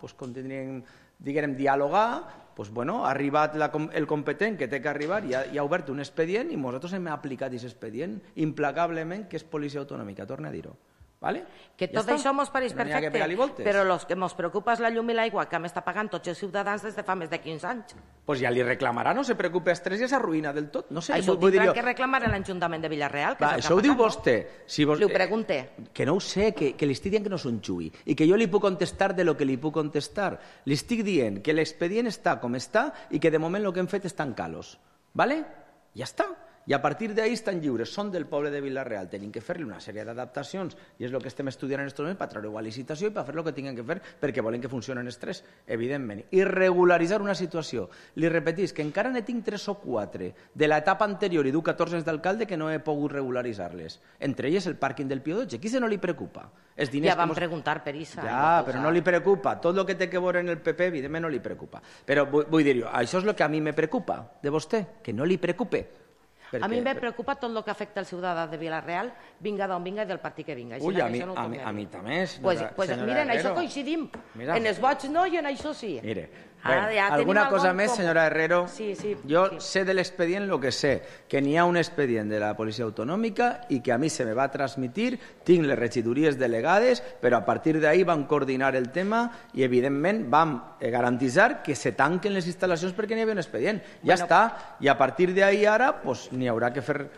com tindríem, diguem, dialogar, doncs bueno, ha arribat el competent que té que arribar i ha obert un expedient i nosaltres hem aplicat aquest expedient implacablement, que és Policia Autonòmica, torna a dir-ho. ¿vale? Que tot això mos pareix perfecte, però el que ens preocupa és la llum i l'aigua que hem estat pagant tots els ciutadans des de fa més de 15 anys. Pues ja li reclamarà, no se preocupe, Estrès ja s'arruïna del tot. No sé, això ho tindran que reclamar a l'Ajuntament de Villarreal. Això ho diu vostè. Li ho pregunte. Que no ho sé, que li estic dient que no són xui i que jo li puc contestar de lo que li puc contestar. Li estic dient que l'expedient està com està i que de moment el que hem fet és tancar-los. ¿Vale? Ja està. I a partir d'ahí estan lliures, són del poble de Vila-real, tenim que fer-li una sèrie d'adaptacions i és el que estem estudiant en aquests moments per treure-ho a licitació i per fer el que tinguem que fer perquè volen que funcionen els tres, evidentment. I regularitzar una situació. Li repetís que encara ne tinc 3 o 4 de l'etapa anterior i du 14 anys d'alcalde que no he pogut regularitzar-les. Entre elles el pàrquing del Pío XII. Qui se no li preocupa? Ja vam preguntar per això. Ja, però no li preocupa. Tot el que té que veure en el PP, evidentment, no li preocupa. Però vull dir-ho, això és el que a mi me preocupa de vostè, que no li preocupe. A mi me preocupa tot el que afecta al ciutadà de Vila-real, vinga d'on vinga i del partit que vinga. Ui, a mi també, senyora Herrero. Mira, en això coincidim. En els vots no i en això sí. Mire, alguna cosa més, senyora Herrero? Sí. Jo sé de l'expedient el que sé, que n'hi ha un expedient de la Policia Autonòmica i que a mi se me va transmitir, tinc les regidories delegades, però a partir d'ahí vam coordinar el tema i, evidentment, vam garantitzar que se tanquen les instal·lacions perquè n'hi havia un expedient. Ja està. I a partir d'ahí ara n'hi haurà que fer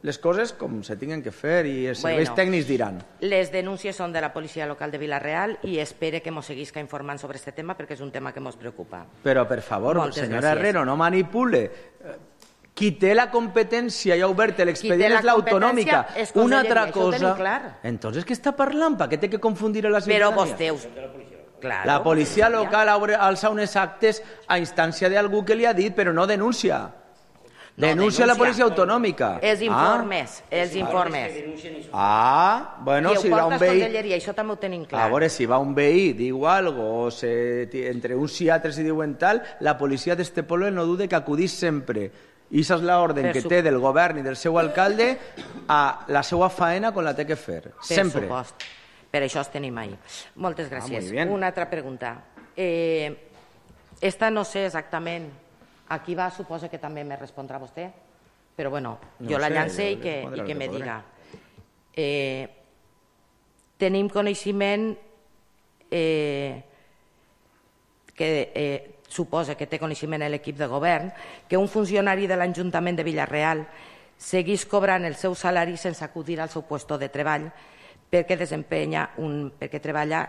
les coses com se tinguen que fer i els serveis tècnics diran. Les denúncies són de la policia local de Vila-real i espere que mos seguisca informant sobre aquest tema perquè és un tema que mos preocupa. Però, per favor, senyora Herrero, no manipule. Qui té la competència i ha obert l'expedient és l'autonòmica. Una altra cosa... Entonces, què està parlant? Per què té que confundir a la ciutadania? Però vostè... La policia local alça unes actes a instància d'algú que li ha dit, però no denuncia. Denuncia la policia autonòmica. Els informes. Bueno, si va un veí... Això també ho tenim clar. A veure, si va un veí, diu algo, o entre uns i altres i diuen tal, la policia d'este poble no dude que acudís sempre. I això és l'ordre que té del govern i del seu alcalde a la seva faena quan la té que fer. Sempre. Per supost. Per això els tenim ahí. Moltes gràcies. Una altra pregunta. Esta no sé exactament a qui va, suposa que també me respondrà vostè, però bueno, jo la llancé i que me diga. Tenim coneixement que suposa que té coneixement l'equip de govern que un funcionari de l'Ajuntament de Vila-real seguís cobrant el seu salari sense acudir al seu lloc de treball perquè treballa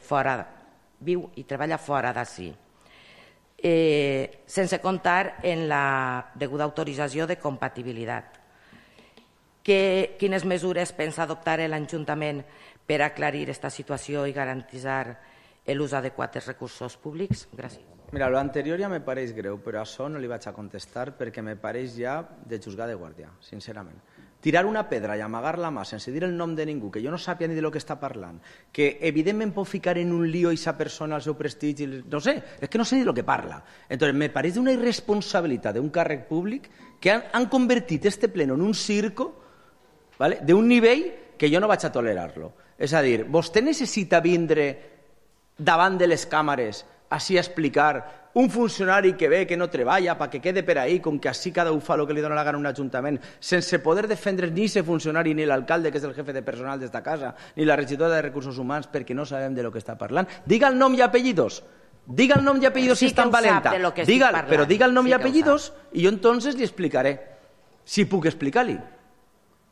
fora, viu i treballa fora d'ací. Sense comptar en la deguda autorització de compatibilitat. Quines mesures pensa adoptar l'Ajuntament per aclarir aquesta situació i garantir l'ús adequat dels recursos públics? Gràcies. Mira, lo anterior ja me pareix greu, però a això no li vaig a contestar perquè me pareix ja de juzgar de guàrdia, sincerament. Tirar una pedra i amagar la mà sense dir el nom de ningú, que jo no sàpia ni de lo que està parlant, que evidentment pot ficar en un lío aquesta persona al seu prestigi, no sé, és que no sé ni lo que parla. Entonces, me pareix una irresponsabilitat d'un càrrec públic que han convertit este pleno en un circo, ¿vale?, d'un nivell que jo no vaig a tolerar-lo. És a dir, vostè necessita vindre davant de les càmeres així a explicar un funcionari que ve, que no treballa, perquè quede per ahí, com que així cada un fa el que li dona la gana a un ajuntament, sense poder defendre ni aquest funcionari, ni l'alcalde, que és el jefe de personal d'esta casa, ni la regidora de Recursos Humans, perquè no sabem de lo que està parlant. Diga el nom i apellidos. Diga el nom i apellidos si és tan valenta. Però diga el nom i apellidos i jo entonces li explicaré. Si puc explicar-li.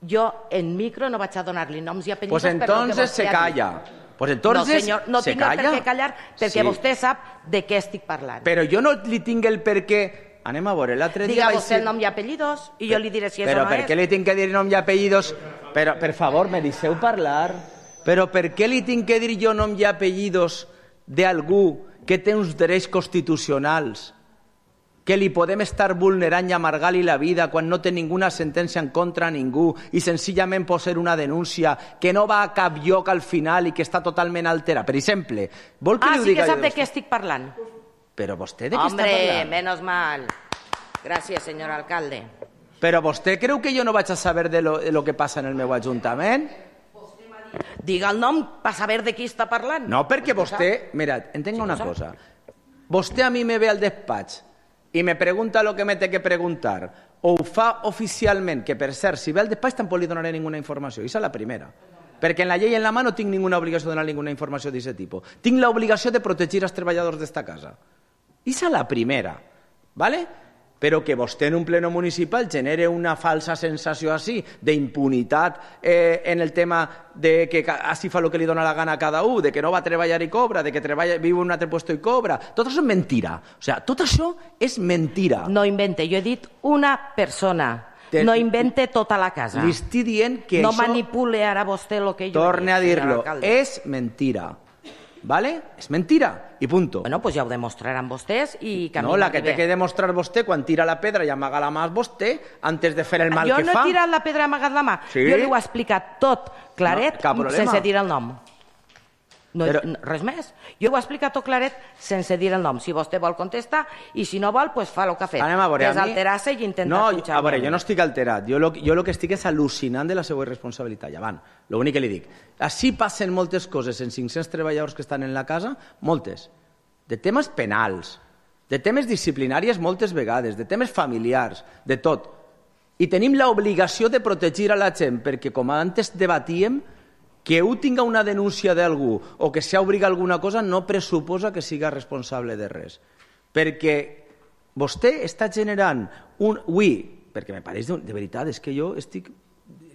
Jo en micro no vaig a donar-li noms i apellidos. Pues entonces se calla. Pues entonces, no, senyor, no tinc per què callar perquè vostè sap de què estic parlant. Però jo no li tinc el per què... Anem a veure, l'altre dia... Diga vostè el nom i apellidos i jo li diré si és o no és. Però per què li tinc que dir nom i apellidos? Però, per favor, me deixeu parlar. Però per què li tinc que dir jo nom i apellidos d'algú que té uns drets constitucionals que li podem estar vulnerant i amargar-li la vida quan no té ninguna sentència en contra a ningú i senzillament pot ser una denúncia que no va a cap lloc al final i que està totalment alterada. Per exemple, vol que li ho diga... sí que sap de què estic parlant. Però vostè de què està parlant? Hombre, menos mal. Gràcies, senyor alcalde. Però vostè creu que jo no vaig a saber de lo que passa en el meu ajuntament? Diga el nom per saber de qui està parlant. No, perquè vostè... Mira, entenga una cosa. Vostè a mi me ve al despatx i me pregunta lo que me té que preguntar, o ho fa oficialment, que per cert, si ve al despatx tampoc li donaré ninguna informació. Aquesta és la primera. Perquè en la llei en la mà no tinc ninguna obligació de donar ninguna informació d'aquest tipus. Tinc l'obligació de protegir els treballadors d'esta casa. I és la primera, ¿vale? Però que vostè en un pleno municipal genere una falsa sensació així d'impunitat en el tema de que així fa el que li dona la gana a cada un, de que no va a treballar i cobra, de que viu en un altre lloc i cobra. Tot això és mentira. O sigui, tot això és mentira. No invente, jo he dit una persona. No invente tota la casa. Li estic dient que no això... No manipule ara vostè el que jo Torne a dir-lo. És mentira. ¿Vale? És mentira. I punto. Bueno, pues ja ho demostraran vostès i que no, la que té que demostrar vostè quan tira la pedra i amaga la mà vostè antes de fer el mal que fa. Jo no he tirat la pedra i amagat la mà. Sí? Jo li ho he explicat tot claret sense dir el nom. No, res més. Jo ho he explicat tot claret sense dir el nom. Si vostè vol contestar i si no vol, pues fa el que ha fet. Anem a veure. Desalterar-se i intentar punxar. A veure, jo no estic alterat. Jo el que estic és al·lucinant de la seva irresponsabilitat. Llevant, l'únic que li dic. Així passen moltes coses en 500 treballadors que estan en la casa, moltes. De temes penals, de temes disciplinàries moltes vegades, de temes familiars, de tot. I tenim l'obligació de protegir a la gent, perquè com antes debatíem, que un tinga una denúncia d'algú o que s'obriga alguna cosa no pressuposa que siga responsable de res. Perquè vostè està generant perquè me pareix de veritat, és que jo estic...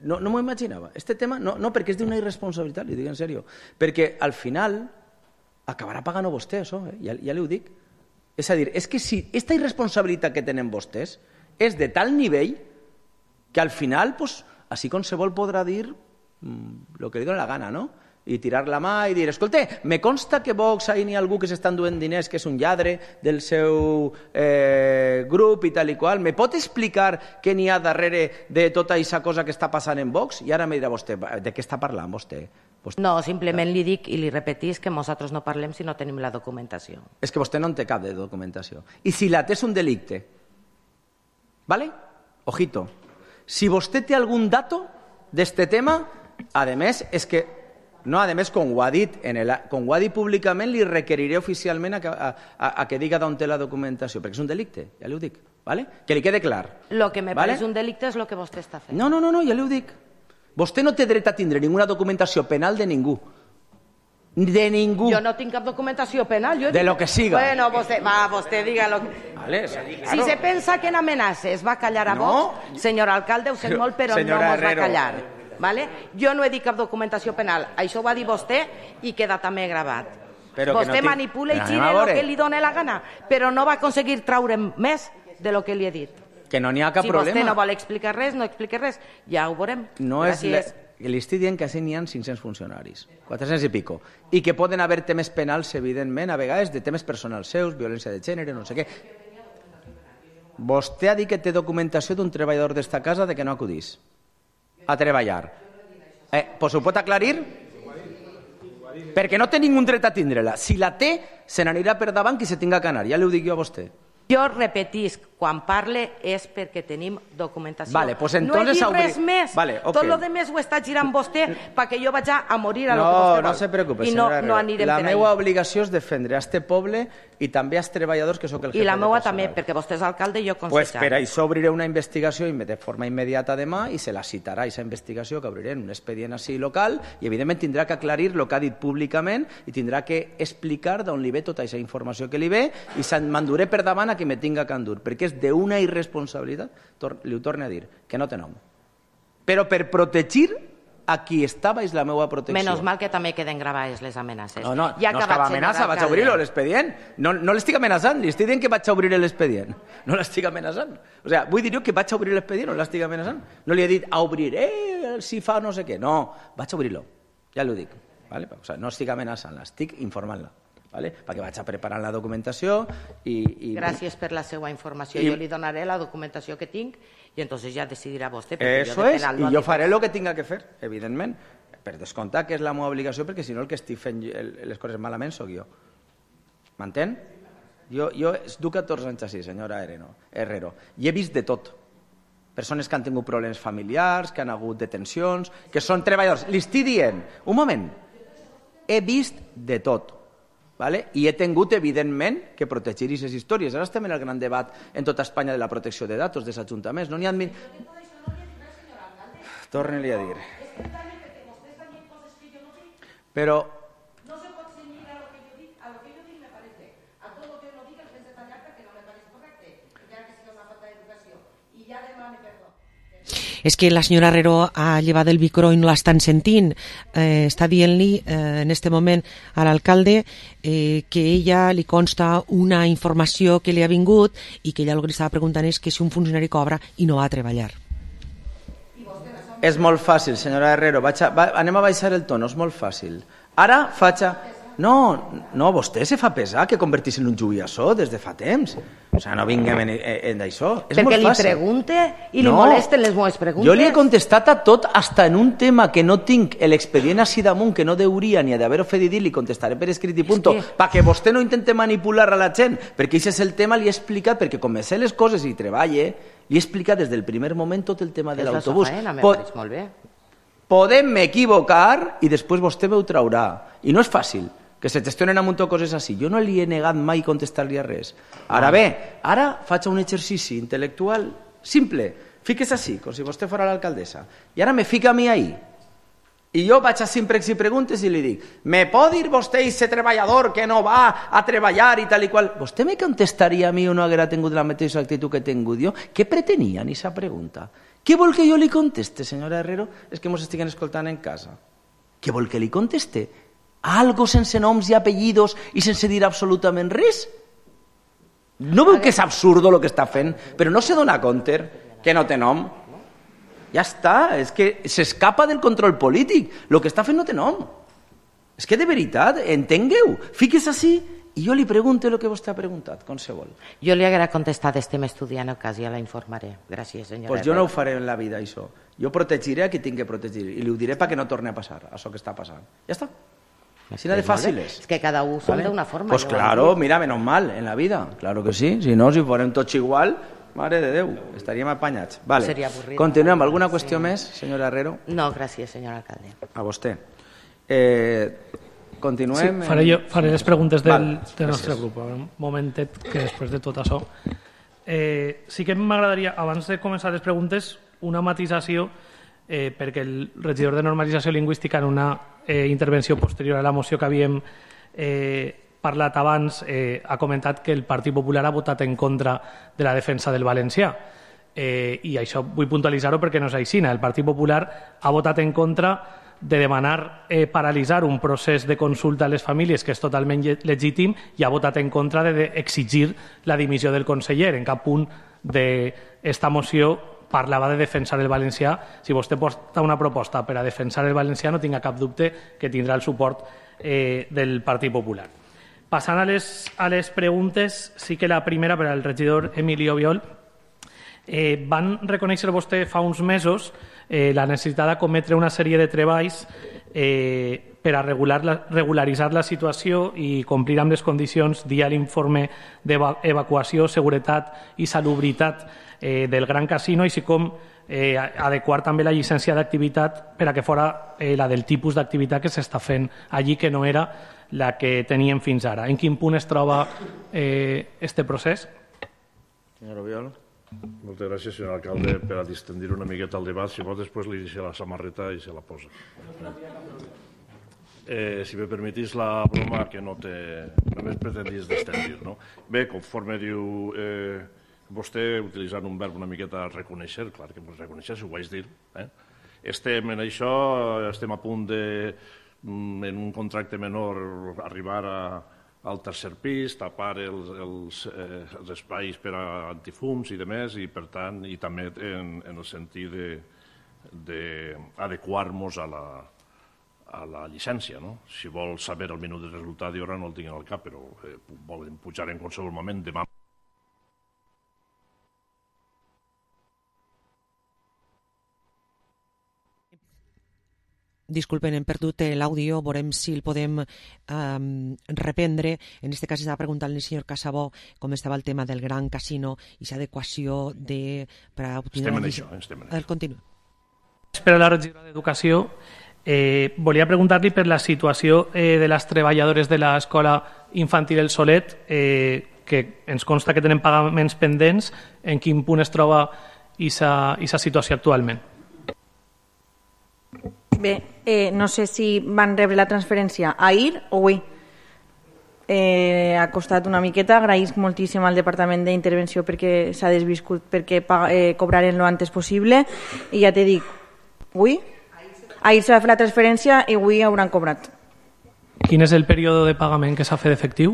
No m'ho imaginava. Este tema, no, perquè és d'una irresponsabilitat, li dic en sèrio. Perquè al final acabarà pagant vostè, això, ja li ho dic. És a dir, és que si aquesta irresponsabilitat que tenen vostès és de tal nivell que al final, pues, així qualsevol podrà dir el que li dona la gana, no? I tirar la mà i dir, escolta, me consta que Vox ahí n'hi ha algú que s'està enduent diners que és un lladre del seu grup i tal i qual. Me pot explicar què n'hi ha darrere de tota aquesta cosa que està passant en Vox? I ara me dirà vostè, de què està parlant vostè? No, simplement li dic i li repetís que nosaltres no parlem si no tenim la documentació. És que vostè no en té cap de documentació. I si la té és un delicte. ¿Vale? Ojito. Si vostè té algun dato d'este tema, a més, és que no, a més, com ho ha dit públicament, li requeriré oficialment a que diga d'on té la documentació, perquè és un delicte, ja li ho dic, ¿vale? Que li quede clar. Lo que me pareix un delicte és el que vostè està fent. No, ja li ho dic. Vostè no té dret a tindre ninguna documentació penal de ningú. De ningú. Jo no tinc cap documentació penal. De lo que siga. Bueno, vostè diga lo que... Vale, si se pensa que en amenaces va callar a Vox, senyor alcalde, ho sent molt, però no mos va callar. Vale? Jo no he dit cap documentació penal. Això ho va dir vostè i queda també gravat. Vostè manipula i gira el que li dona la gana, però no va aconseguir traure més de lo que li he dit. Que no n'hi ha cap problema. Si vostè no vol explicar res, no expliqui res. Ja ho veurem. Gràcies. Li estic dient que així n'hi ha 500 funcionaris, 400 i pico, i que poden haver temes penals, evidentment, a vegades de temes personals seus, violència de gènere, no sé què. Vostè ha dit que té documentació d'un treballador d'esta casa de que no acudís a treballar. Pues ho pot aclarir? Perquè no té ningú dret a tindre-la. Si la té, se n'anirà per davant qui se tinga que anar. Ja li ho dic jo a vostè. Jo repetisc, quan parle és perquè tenim documentació. Vale, pues no he dit res més. Vale, okay. Tot el que més ho està girant vostè perquè jo vaig a morir a lo que vostè vol. No se preocupe, senyora Herrero. La meva obligació és defendre a este poble i també als treballadors que sóc el jefe. I la meva també, perquè vostè és alcalde i jo consellera. Pues per això obriré una investigació de forma immediata demà i se la citarà, aquesta investigació que obriré en un expedient així local i evidentment tindrà que aclarir el que ha dit públicament i tindrà que explicar d'on li ve tota aquesta informació que li ve i m'enduré per davant a que me tinga que endur, perquè és d'una irresponsabilitat, li ho torno a dir, que no té nom. Però per protegir a qui estava és la meva protecció. Menos mal que també queden gravades les amenaces. No estava amenaça, vaig a obrir-lo l'expedient. No l'estic amenaçant, li estic dient que vaig a obrir l'expedient. No l'estic amenaçant. O sigui, vull dir jo que vaig a obrir l'expedient, no l'estic amenaçant. No li he dit, obriré si fa no sé què. No, vaig a obrir-lo. Ja l'ho dic. No estic amenaçant, l'estic informant-la. Perquè vaig a preparar la documentació i... Gràcies per la seva informació. Jo li donaré la documentació que tinc i entonces ja decidirà vostè. Eso és, i jo faré el que tinga que fer, evidentment, per descomptar que és la meva obligació, perquè si no el que estic fent les coses malament sóc jo. M'entén? Jo duc 14 anys així, senyora Herrero, i he vist de tot. Persones que han tingut problemes familiars, que han hagut detencions, que són treballadors. Li estic dient, un moment, he vist de tot. I he tingut, evidentment, que protegir aquestes històries. Ara estem en el gran debat en tota Espanya de la protecció de datos dels ajuntaments. No n'hi ha... Torna-li a dir. Però... No se pot cenyir a lo que jo dic, me parece. A tot lo que no dic el fes detallar perquè no me parece correcte, ja que sigui una falta d'educació. I ja demane perdó. És que la senyora Herrero ha llevat el micro i no l'estan sentint. Està dient-li en este moment a l'alcalde que ella li consta una informació que li ha vingut i que ella el que li estava preguntant és que si un funcionari cobra i no va a treballar. És molt fàcil, senyora Herrero. Anem a baixar el tono, és molt fàcil. Ara faig... No, vostè se fa pesar que convertís en un jubiassó des de fa temps. O sigui, no vinguem en això. És molt fàcil. Perquè li pregunte i li molesten les meves preguntes. Jo li he contestat a tot, hasta en un tema que no tinc l'expedient així damunt, que no deuria ni d'haver-ho fet dir, li contestaré per escrit i punto, perquè vostè no intente manipular a la gent, perquè aquest és el tema, li he explicat, perquè com me sé les coses i treballe, li he explicat des del primer moment tot el tema de l'autobús. Podem m'equivocar i després vostè m'ho traurà. I no és fàcil que se gestionen amb un to coses així. Jo no li he negat mai contestar-li a res. Ara bé, ara faig un exercici intel·lectual simple. Fiques així, com si vostè fos l'alcaldessa. I ara me fica a mi ahí. I jo vaig a simplex i preguntes i li dic, me pot dir vostè ese treballador que no va a treballar i tal i qual? Vostè me contestaria a mi o no haguera tingut la mateixa actitud que he tingut jo? Què pretenia en aquesta pregunta? Què vol que jo li conteste, senyora Herrero? És que mos estiguen escoltant en casa. Què vol que li conteste? Algo sense noms i apellidos i sense dir absolutament res? No veu que és absurdo el que està fent? Però no se dona compte que no té nom? Ja està, és que s'escapa del control polític. El que està fent no té nom. És que de veritat, entengueu, fiques així i jo li pregunto el que vostè ha preguntat, com se vol. Jo li haguera contestat, estem estudiant el cas, ja la informaré. Gràcies, senyora. Pues jo no ho faré en la vida, això. Jo protegiré a qui tingui que protegir i li ho diré perquè no torni a passar, això que està passant. Ja està. Així de fàcil és. És que cada un som d'una forma. Pues claro, mira, menos mal, en la vida. Claro que sí. Si no, si fórem tots igual, mare de Déu, estaríem apanyats. Vale. Seria avorrit. Continuem. Alguna qüestió més, senyora Herrero? No, gràcies, senyor alcalde. A vostè. Continuem. Sí, faré les preguntes del nostre grup. Un momentet, que després de tot això... Sí que m'agradaria, abans de començar les preguntes, una matisació, perquè el regidor de normalització lingüística en una intervenció posterior a la moció que havíem parlat abans ha comentat que el Partit Popular ha votat en contra de la defensa del valencià. I això vull puntualitzar-ho perquè no és així. El Partit Popular ha votat en contra de demanar paralitzar un procés de consulta a les famílies que és totalment legítim i ha votat en contra d'exigir la dimissió del conseller. En cap punt d'esta moció parlava de defensar el valencià. Si vostè porta una proposta per a defensar el valencià, no tinga cap dubte que tindrà el suport del Partit Popular. Passant a les preguntes, sí que la primera per al regidor Emilio Biol. Van reconèixer vostè fa uns mesos la necessitat d'acometre una sèrie de treballs per a regularitzar la situació i complir amb les condicions dia l'informe d'evacuació, seguretat i salubritat del Gran Casino, així com adequar també la llicència d'activitat per a que fora la del tipus d'activitat que s'està fent allí, que no era la que teníem fins ara. En quin punt es troba este procés? Senyor Obiol. Moltes gràcies, senyor alcalde, per a distendir una miqueta el debat. Si pot, després li deixo la samarreta i se la posa. Si me permetís la broma, que no només pretendís distendir, no? Bé, conforme diu vostè, utilitzant un verb una miqueta reconèixer, clar que reconèixer, si ho vaig dir. Estem en això, estem a punt de, en un contracte menor, arribar al tercer pis, tapar els espais per a antifums i demés, i per tant, i també en el sentit d'adequar-nos a la llicència. Si vol saber el minut de resultat, jo ara no el tinc al cap, però volen pujar en qualsevol moment demà. Disculpen, hem perdut l'àudio, veurem si el podem reprendre. En aquest cas estava preguntant al senyor Casabó com estava el tema del Gran Casino i aquesta adequació per a obtenir... Estem en això, estem en això. Continua. Per a la regidora d'Educació, volia preguntar-li per la situació de les treballadores de l'escola infantil El Solet, que ens consta que tenen pagaments pendents. En quin punt es troba aquesta situació actualment? Bé, no sé si van rebre la transferència ahir o avui. Ha costat una miqueta, agraïsc moltíssim al Departament d'Intervenció perquè s'ha desviscut, perquè cobraren lo antes possible, i ja te dic, avui? Ahir s'ha fet la transferència i avui hauran cobrat. Quin és el període de pagament que s'ha fet efectiu?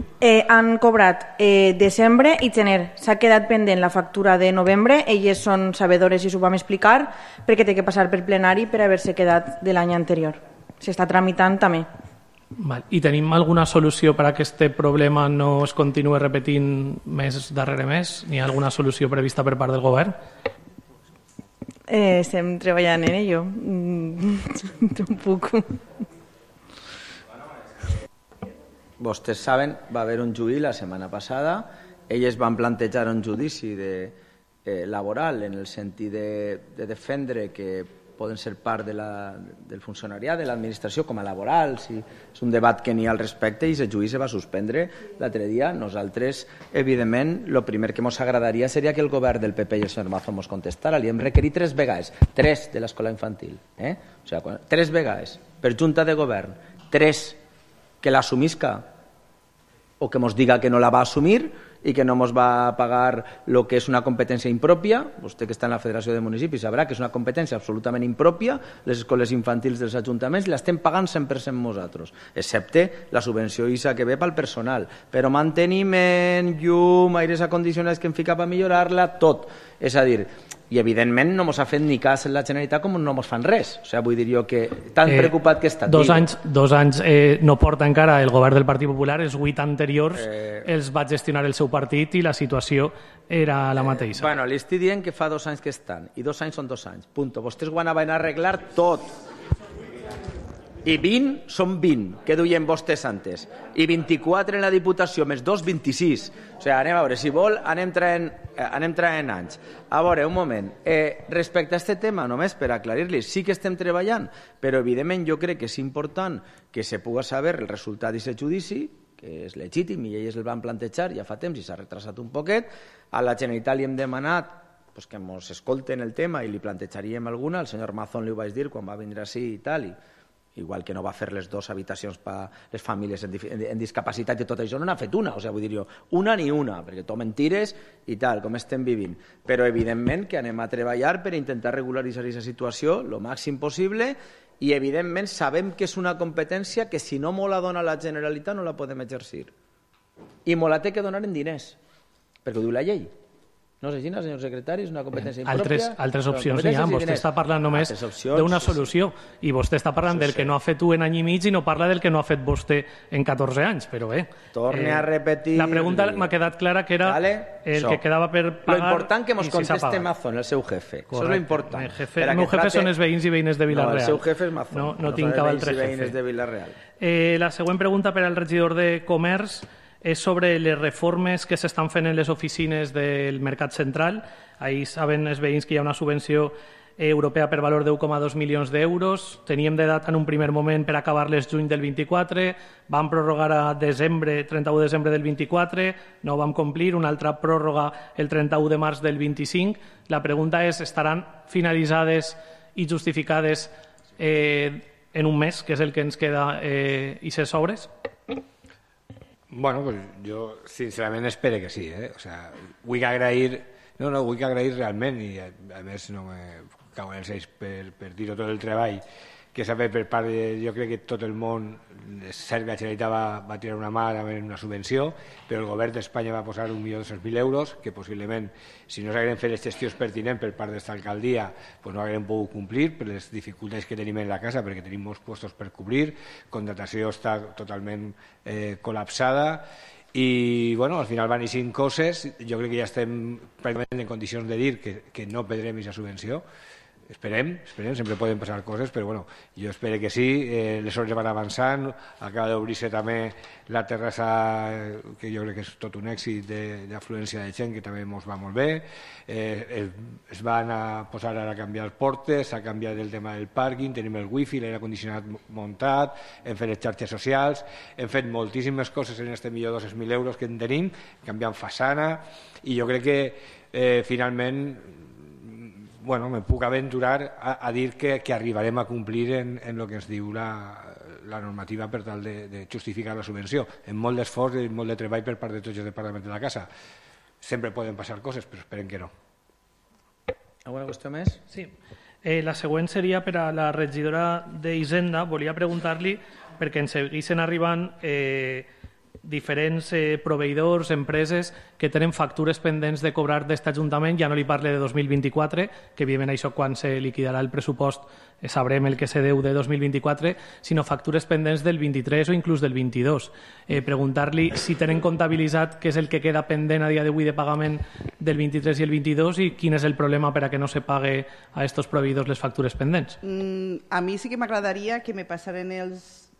Han cobrat desembre i gener. S'ha quedat pendent la factura de novembre. Elles són sabedores i s'ho vam explicar perquè té que passar per plenari per haver-se quedat de l'any anterior. S'està tramitant també. Val. I tenim alguna solució per a que aquest problema no es continuï repetint mes darrere mes? N'hi ha alguna solució prevista per part del govern? Estem treballant en ello. Un poc. Vostès saben, va haver un juí la setmana passada, elles van plantejar un judici laboral en el sentit de defendre que poden ser part del funcionariat, de l'administració com a laborals, i és un debat que n'hi ha al respecte, i el judici va suspendre l'altre dia. Nosaltres, evidentment, el primer que ens agradaria seria que el govern del PP i el senyor Mazo ens contestara. Li hem requerit 3 vegades, 3 de l'escola infantil, o sigui, 3 vegades per junta de govern, 3 que l'assumisca o que ens diga que no la va assumir i que no ens va pagar el que és una competència impròpia. Vostè que està en la Federació de Municipis sabrà que és una competència absolutament impròpia, les escoles infantils dels ajuntaments l'estem pagant 100% nosaltres, excepte la subvenció ISA que ve pel personal, però manteniment, llum, aires acondicionats que hem ficat per millorar-la, tot. És a dir, i evidentment no ens ha fet ni cas en la Generalitat com no ens fan res. O sigui, vull dir jo que tan preocupat que està. 2 anys no porta encara el govern del Partit Popular, els 8 anteriors els va gestionar el seu partit i la situació era la mateixa. Bueno, li estic dient que fa 2 anys que estan, i 2 anys són 2 anys, punto. Vostès ho van a arreglar tot. I 20 són 20, que duien vostès antes. I 24 en la Diputació, més 2, 26. O sigui, anem a veure, si vol, anem traient anys. A veure, un moment. Respecte a aquest tema, només per aclarir-li, sí que estem treballant, però evidentment jo crec que és important que se pugui saber el resultat d'aquest judici, que és legítim i ells el van plantejar ja fa temps i s'ha retrasat un poquet. A la Generalitat li hem demanat que ens escolten el tema i li plantejaríem alguna. El senyor Mazón li ho vaig dir quan va vindre així i tal, igual que no va fer les 2 habitacions per a les famílies en discapacitat i tot això, no n'ha fet una, o sigui, vull dir jo, una ni una, perquè tot mentires i tal, com estem vivint. Però evidentment que anem a treballar per intentar regularitzar aquesta situació el màxim possible i evidentment sabem que és una competència que si no la dona la Generalitat no la podem exercir. I la té que donar en diners, perquè ho diu la llei. No sé si, senyor secretari, és una competència impròpia. Altres opcions n'hi ha. Vostè està parlant només d'una solució i vostè està parlant del que no ha fet un any i mig i no parla del que no ha fet vostè en 14 anys, però bé. Torne a repetir... La pregunta m'ha quedat clara que era el que quedava per pagar. Lo important que ens conteste Mazón, el seu jefe. Això és lo important. El meu jefe són els veïns i veïnes de Vila-real. No, el seu jefe és Mazón. No tinc cap altre jefe. La següent pregunta per al regidor de Comerç és sobre les reformes que s'estan fent en les oficines del Mercat Central. Ahir saben els veïns que hi ha una subvenció europea per valor de 1,2 milions d'euros. Teníem de data en un primer moment per acabar-les juny del 24, vam prorrogar a desembre, 31 de desembre del 24, no vam complir, una altra pròrroga el 31 de març del 25. La pregunta és, estaran finalitzades i justificades en un mes, que és el que ens queda, i ses obres? Bueno, pues yo sincerament espero que sí, O sea, vull agrair realment, i a més no me cago en els ells per dir-ho, tot el treball que s'ha fet per part de... Jo crec que tot el món, és cert que la Generalitat va tirar una mà amb una subvenció, però el govern d'Espanya va posar 1.200.000 euros, que possiblement, si no s'hagueren fet les gestions pertinents per part d'esta alcaldia, pues no hagueren pogut complir per les dificultats que tenim en la casa, perquè tenim molts puestos per cobrir, contratació està totalment col·lapsada, i bueno, al final van eixint coses. Jo crec que ja estem pràcticament en condicions de dir que no perdrem aquesta subvenció. Esperem, sempre poden passar coses, però bueno, jo espero que sí. Les obres van avançant, acaba d'obrir-se també la terrassa, que jo crec que és tot un èxit d'afluència de gent, que també ens va molt bé. Es van a posar ara a canviar portes, s'ha canviat el tema del pàrquing, tenim el wifi, l'aire condicionat muntat, hem fet les xarxes socials, hem fet moltíssimes coses en este 1.200.000 euros que en tenim, canviant façana, i jo crec que finalment bueno, me puc aventurar a dir que arribarem a complir en el que ens diu la normativa per tal de justificar la subvenció. En molt d'esforç i molt de treball per part de tots els departaments de la casa. Sempre poden passar coses, però esperem que no. Alguna qüestió més? Sí. La següent seria per a la regidora d'Hisenda. Volia preguntar-li, perquè ens seguissin arribant diferents proveïdors, empreses que tenen factures pendents de cobrar d'aquest Ajuntament. Ja no li parle de 2024, que evidentment això quan se liquidarà el pressupost sabrem el que se deu de 2024, sinó factures pendents del 23 o inclús del 22. Preguntar-li si tenen comptabilitzat què és el que queda pendent a dia d'avui de pagament del 23 i el 22 i quin és el problema per a que no se pague a estos proveïdors les factures pendents. A mi sí que m'agradaria que me passaren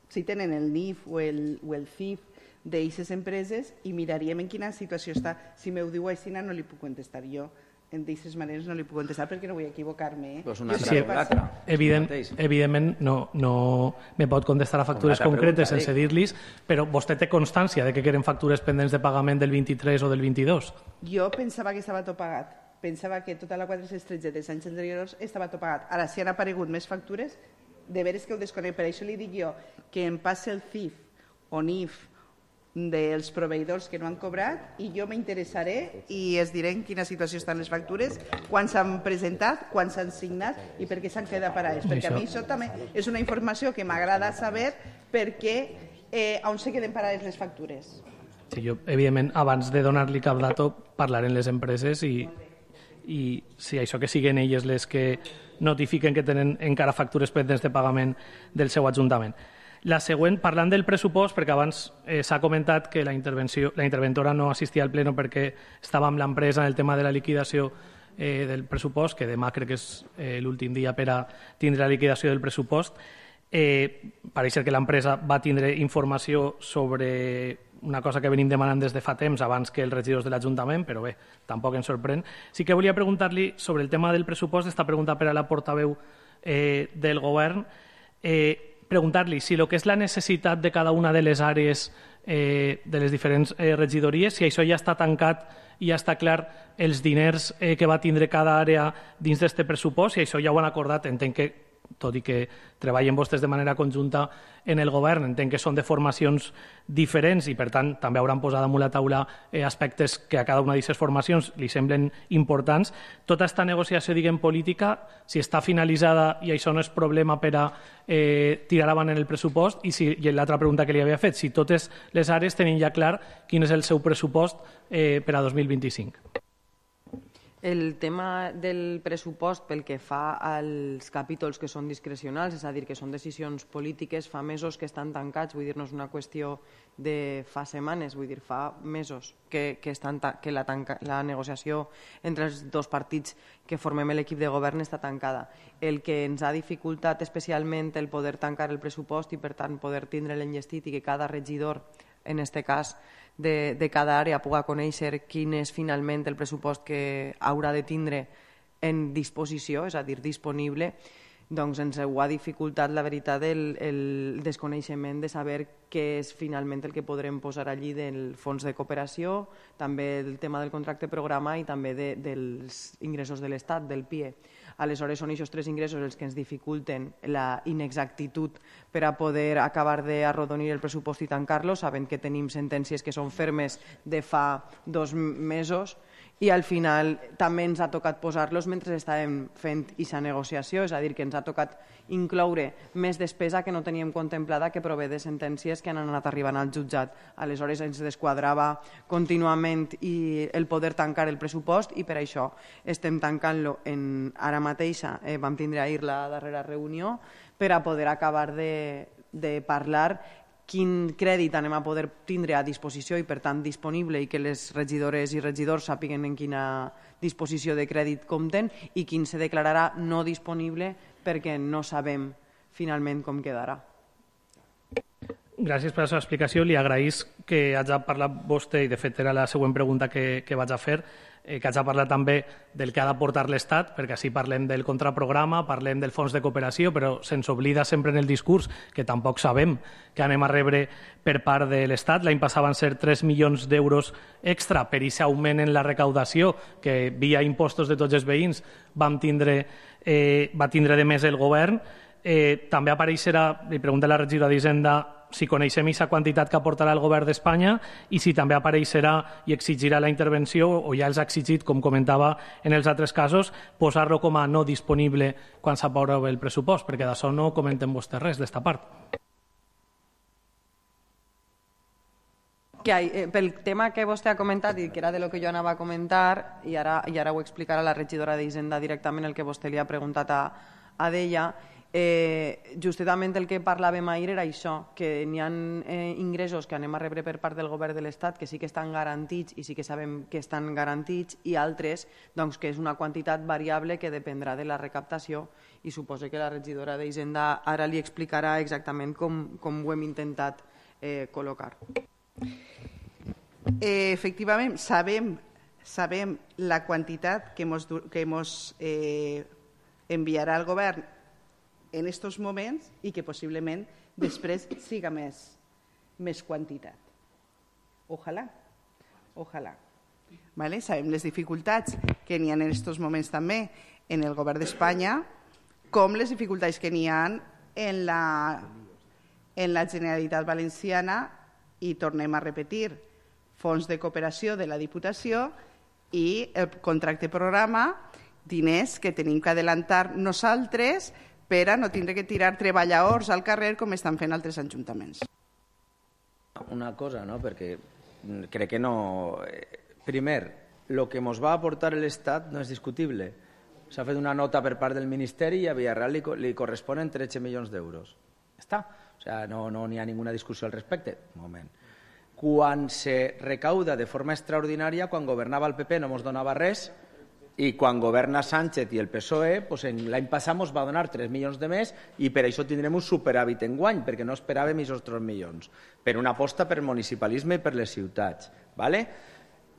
si tenen el NIF o el CIF d'aquestes empreses i miraríem en quina situació està. Si m'ho diu així no li puc contestar jo. D'aquestes maneres no li puc contestar perquè no vull equivocar-me. Evidentment no me pot contestar a factures concretes sense dir-los, però vostè té constància de que queden factures pendents de pagament del 23 o del 22? Jo pensava que estava tot pagat. Pensava que tota la 413 dels anys anteriors estava tot pagat. Ara, si han aparegut més factures, de veres que ho desconec. Per això li dic jo que em passi el CIF o NIF dels proveïdors que no han cobrat i jo m'interessaré i es diré en quina situació estan les factures, quan s'han presentat, quan s'han signat i per què s'han quedat parades. Perquè a mi això també és una informació que m'agrada saber perquè on se queden parades les factures. Sí, jo, evidentment, abans de donar-li cap dato, parlaré amb les empreses i si això que siguen elles les que notifiquen que tenen encara factures pendents de pagament del seu Ajuntament. La següent, parlant del pressupost, perquè abans s'ha comentat que la interventora no assistia al pleno perquè estava amb l'empresa en el tema de la liquidació del pressupost, que demà crec que és l'últim dia per a tindre la liquidació del pressupost. Pareix ser que l'empresa va tindre informació sobre una cosa que venim demanant des de fa temps abans que els regidors de l'Ajuntament, però bé, tampoc ens sorprèn. Sí que volia preguntar-li sobre el tema del pressupost, esta pregunta per a la portaveu del govern, preguntar-li si el que és la necessitat de cada una de les àrees de les diferents regidories, si això ja està tancat i ja està clar els diners que va tindre cada àrea dins d'aquest pressupost, si això ja ho han acordat, entenc que, tot i que treballen vostès de manera conjunta en el govern, entenc que són de formacions diferents i, per tant, també hauran posat damunt la taula aspectes que a cada una d'aquestes formacions li semblen importants. Tota aquesta negociació, diguem, política, si està finalitzada i això no és problema per a tirar avant en el pressupost, i l'altra pregunta que li havia fet, si totes les àrees tenen ja clar quin és el seu pressupost per a 2025. El tema del pressupost pel que fa als capítols que són discrecionals, és a dir, que són decisions polítiques, fa mesos que estan tancats, vull dir, no és una qüestió de fa setmanes, vull dir, fa mesos que la negociació entre els dos partits que formem l'equip de govern està tancada. El que ens ha dificultat especialment el poder tancar el pressupost i, per tant, poder tindre l'enllestit i que cada regidor, en aquest cas, de cada àrea puga conèixer quin és finalment el pressupost que haurà de tindre en disposició, és a dir, disponible, doncs ens ho ha dificultat, la veritat, el desconeixement de saber què és finalment el que podrem posar allí del fons de cooperació, també el tema del contracte programa i també dels ingressos de l'Estat, del PIE. Aleshores, són aquests tres ingressos els que ens dificulten la inexactitud per a poder acabar d'arrodonir el pressupost i tancar-lo, sabent que tenim sentències que són fermes de fa 2 mesos i al final també ens ha tocat posar-los mentre estàvem fent aquesta negociació, és a dir, que ens ha tocat incloure més despesa que no teníem contemplada que prové de sentències que han anat arribant al jutjat. Aleshores ens desquadrava contínuament el poder tancar el pressupost i per això estem tancant-lo ara mateixa. Vam tindre ahir la darrera reunió per a poder acabar de parlar quin crèdit anem a poder tindre a disposició i, per tant, disponible i que les regidores i regidors sàpiguen en quina disposició de crèdit compten i quin se declararà no disponible perquè no sabem finalment com quedarà. Gràcies per la seva explicació. Li agraïs que hagi parlat vostè, i de fet era la següent pregunta que vaig a fer, que haig de parlar també del que ha d'aportar l'Estat, perquè així parlem del contraprograma, parlem del fons de cooperació, però se'ns oblida sempre en el discurs que tampoc sabem que anem a rebre per part de l'Estat. L'any passat van ser 3 milions d'euros extra per aquest augment en la recaudació que via impostos de tots els veïns va tindre de més el govern. També apareixerà, li pregunta la regidora d'Hisenda, si coneixem aquesta quantitat que aportarà el govern d'Espanya i si també apareixerà i exigirà la intervenció, o ja els ha exigit, com comentava en els altres casos, posar-lo com a no disponible quan s'aprova el pressupost, perquè d'això no comenten vostès res, d'esta part. Pel tema que vostè ha comentat i que era de lo que jo anava a comentar, i ara ho explicarà la regidora d'Hisenda directament el que vostè li ha preguntat a d'ella, justament el que parlàvem ahir era això, que n'hi ha ingressos que anem a rebre per part del govern de l'Estat que sí que estan garantits i sí que sabem que estan garantits, i altres que és una quantitat variable que dependrà de la recaptació, i suposo que la regidora d'Hisenda ara li explicarà exactament com ho hem intentat col·locar. Efectivament, sabem la quantitat que ens enviarà el govern en aquests moments i que possiblement després siga més quantitat. Ojalà. Sabem les dificultats que n'hi ha en aquests moments també en el govern d'Espanya, com les dificultats que n'hi ha en la Generalitat Valenciana, i tornem a repetir, fons de cooperació de la Diputació i el contracte programa, diners que tenim que adelantar nosaltres per a no tindre que tirar treballadors al carrer com estan fent altres ajuntaments. Una cosa, no? Perquè crec que no... Primer, el que ens va aportar l'Estat no és discutible. S'ha fet una nota per part del Ministeri i a Villarreal li corresponen 13 milions d'euros. Està. O sigui, no n'hi ha ninguna discussió al respecte. Un moment. Quan se recauda de forma extraordinària, quan governava el PP no ens donava res, i quan governa Sánchez i el PSOE, l'any passat ens va donar 3 milions de més i per això tindrem un superàvit enguany, perquè no esperàvem aquests 3 milions, per una aposta per municipalisme i per les ciutats.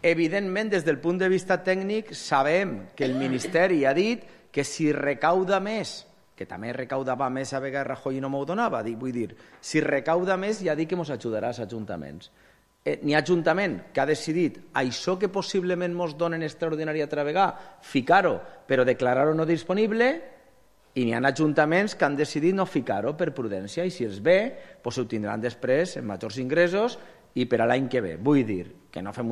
Evidentment, des del punt de vista tècnic, sabem que el Ministeri ha dit que si recauda més, que també recaudava més a vegades Rajoy i no m'ho donava, vull dir, si recauda més ja dic que ens ajudarà als ajuntaments. N'hi ha ajuntament que ha decidit això que possiblement ens donen extraordinària altra vegada, ficar-ho, però declarar-ho no disponible, i n'hi ha ajuntaments que han decidit no ficar-ho per prudència, i si els ve, ho tindran després en majors ingressos i per a l'any que ve. Vull dir que no fem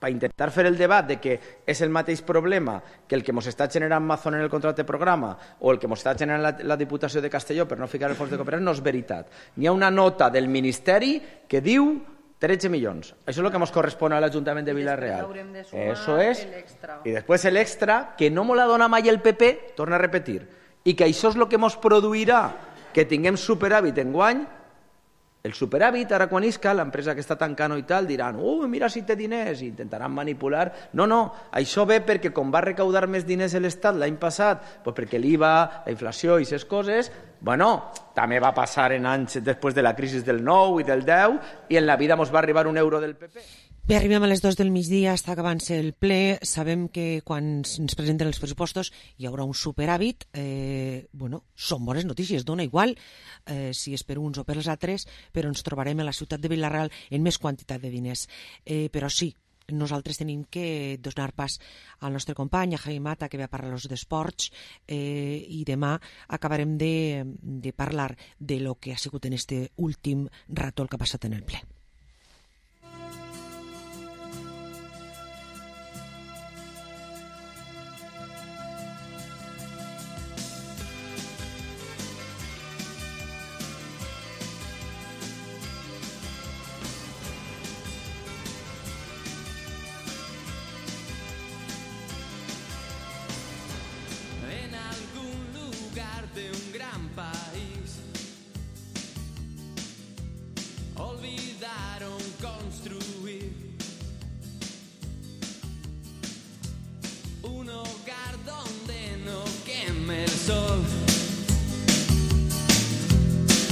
per intentar fer el debat de que és el mateix problema que el que ens està generant Amazon en el contracte programa o el que ens està generant la Diputació de Castelló per no ficar el fons de cooperació, no és veritat. N'hi ha una nota del Ministeri que diu 13 milions. Això és el que ens correspon a l'Ajuntament de Vila-real. Eso és. I després l'extra, que no me la dona mai el PP, torna a repetir, i que això és el que ens produirà que tinguem superàvit enguany. El superàvit, ara quan isca, l'empresa que està tancant i tal, diran, mira si té diners, i intentaran manipular. No, això ve perquè com va recaudar més diners l'Estat l'any passat, perquè l'IVA, la inflació i aquestes coses, també va passar en anys després de la crisi del 9 i del 10, i en la vida ens va arribar un euro del PP. Bé, arribem a les 2 del migdia, està acabant-se el ple. Sabem que quan ens presenten els pressupostos hi haurà un superàvit. Són bones notícies, dona igual si és per uns o per els altres, però ens trobarem a la ciutat de Vila-real en més quantitat de diners. Però sí, nosaltres tenim que donar pas al nostre company, a Jaime Mata, que ve a parlar-nos d'esports, i demà acabarem de parlar de lo que ha sigut en este últim rato el que ha passat en el ple. Olvidaron construir un hogar donde no queme el sol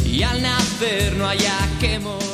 y al nacer no haya que morir.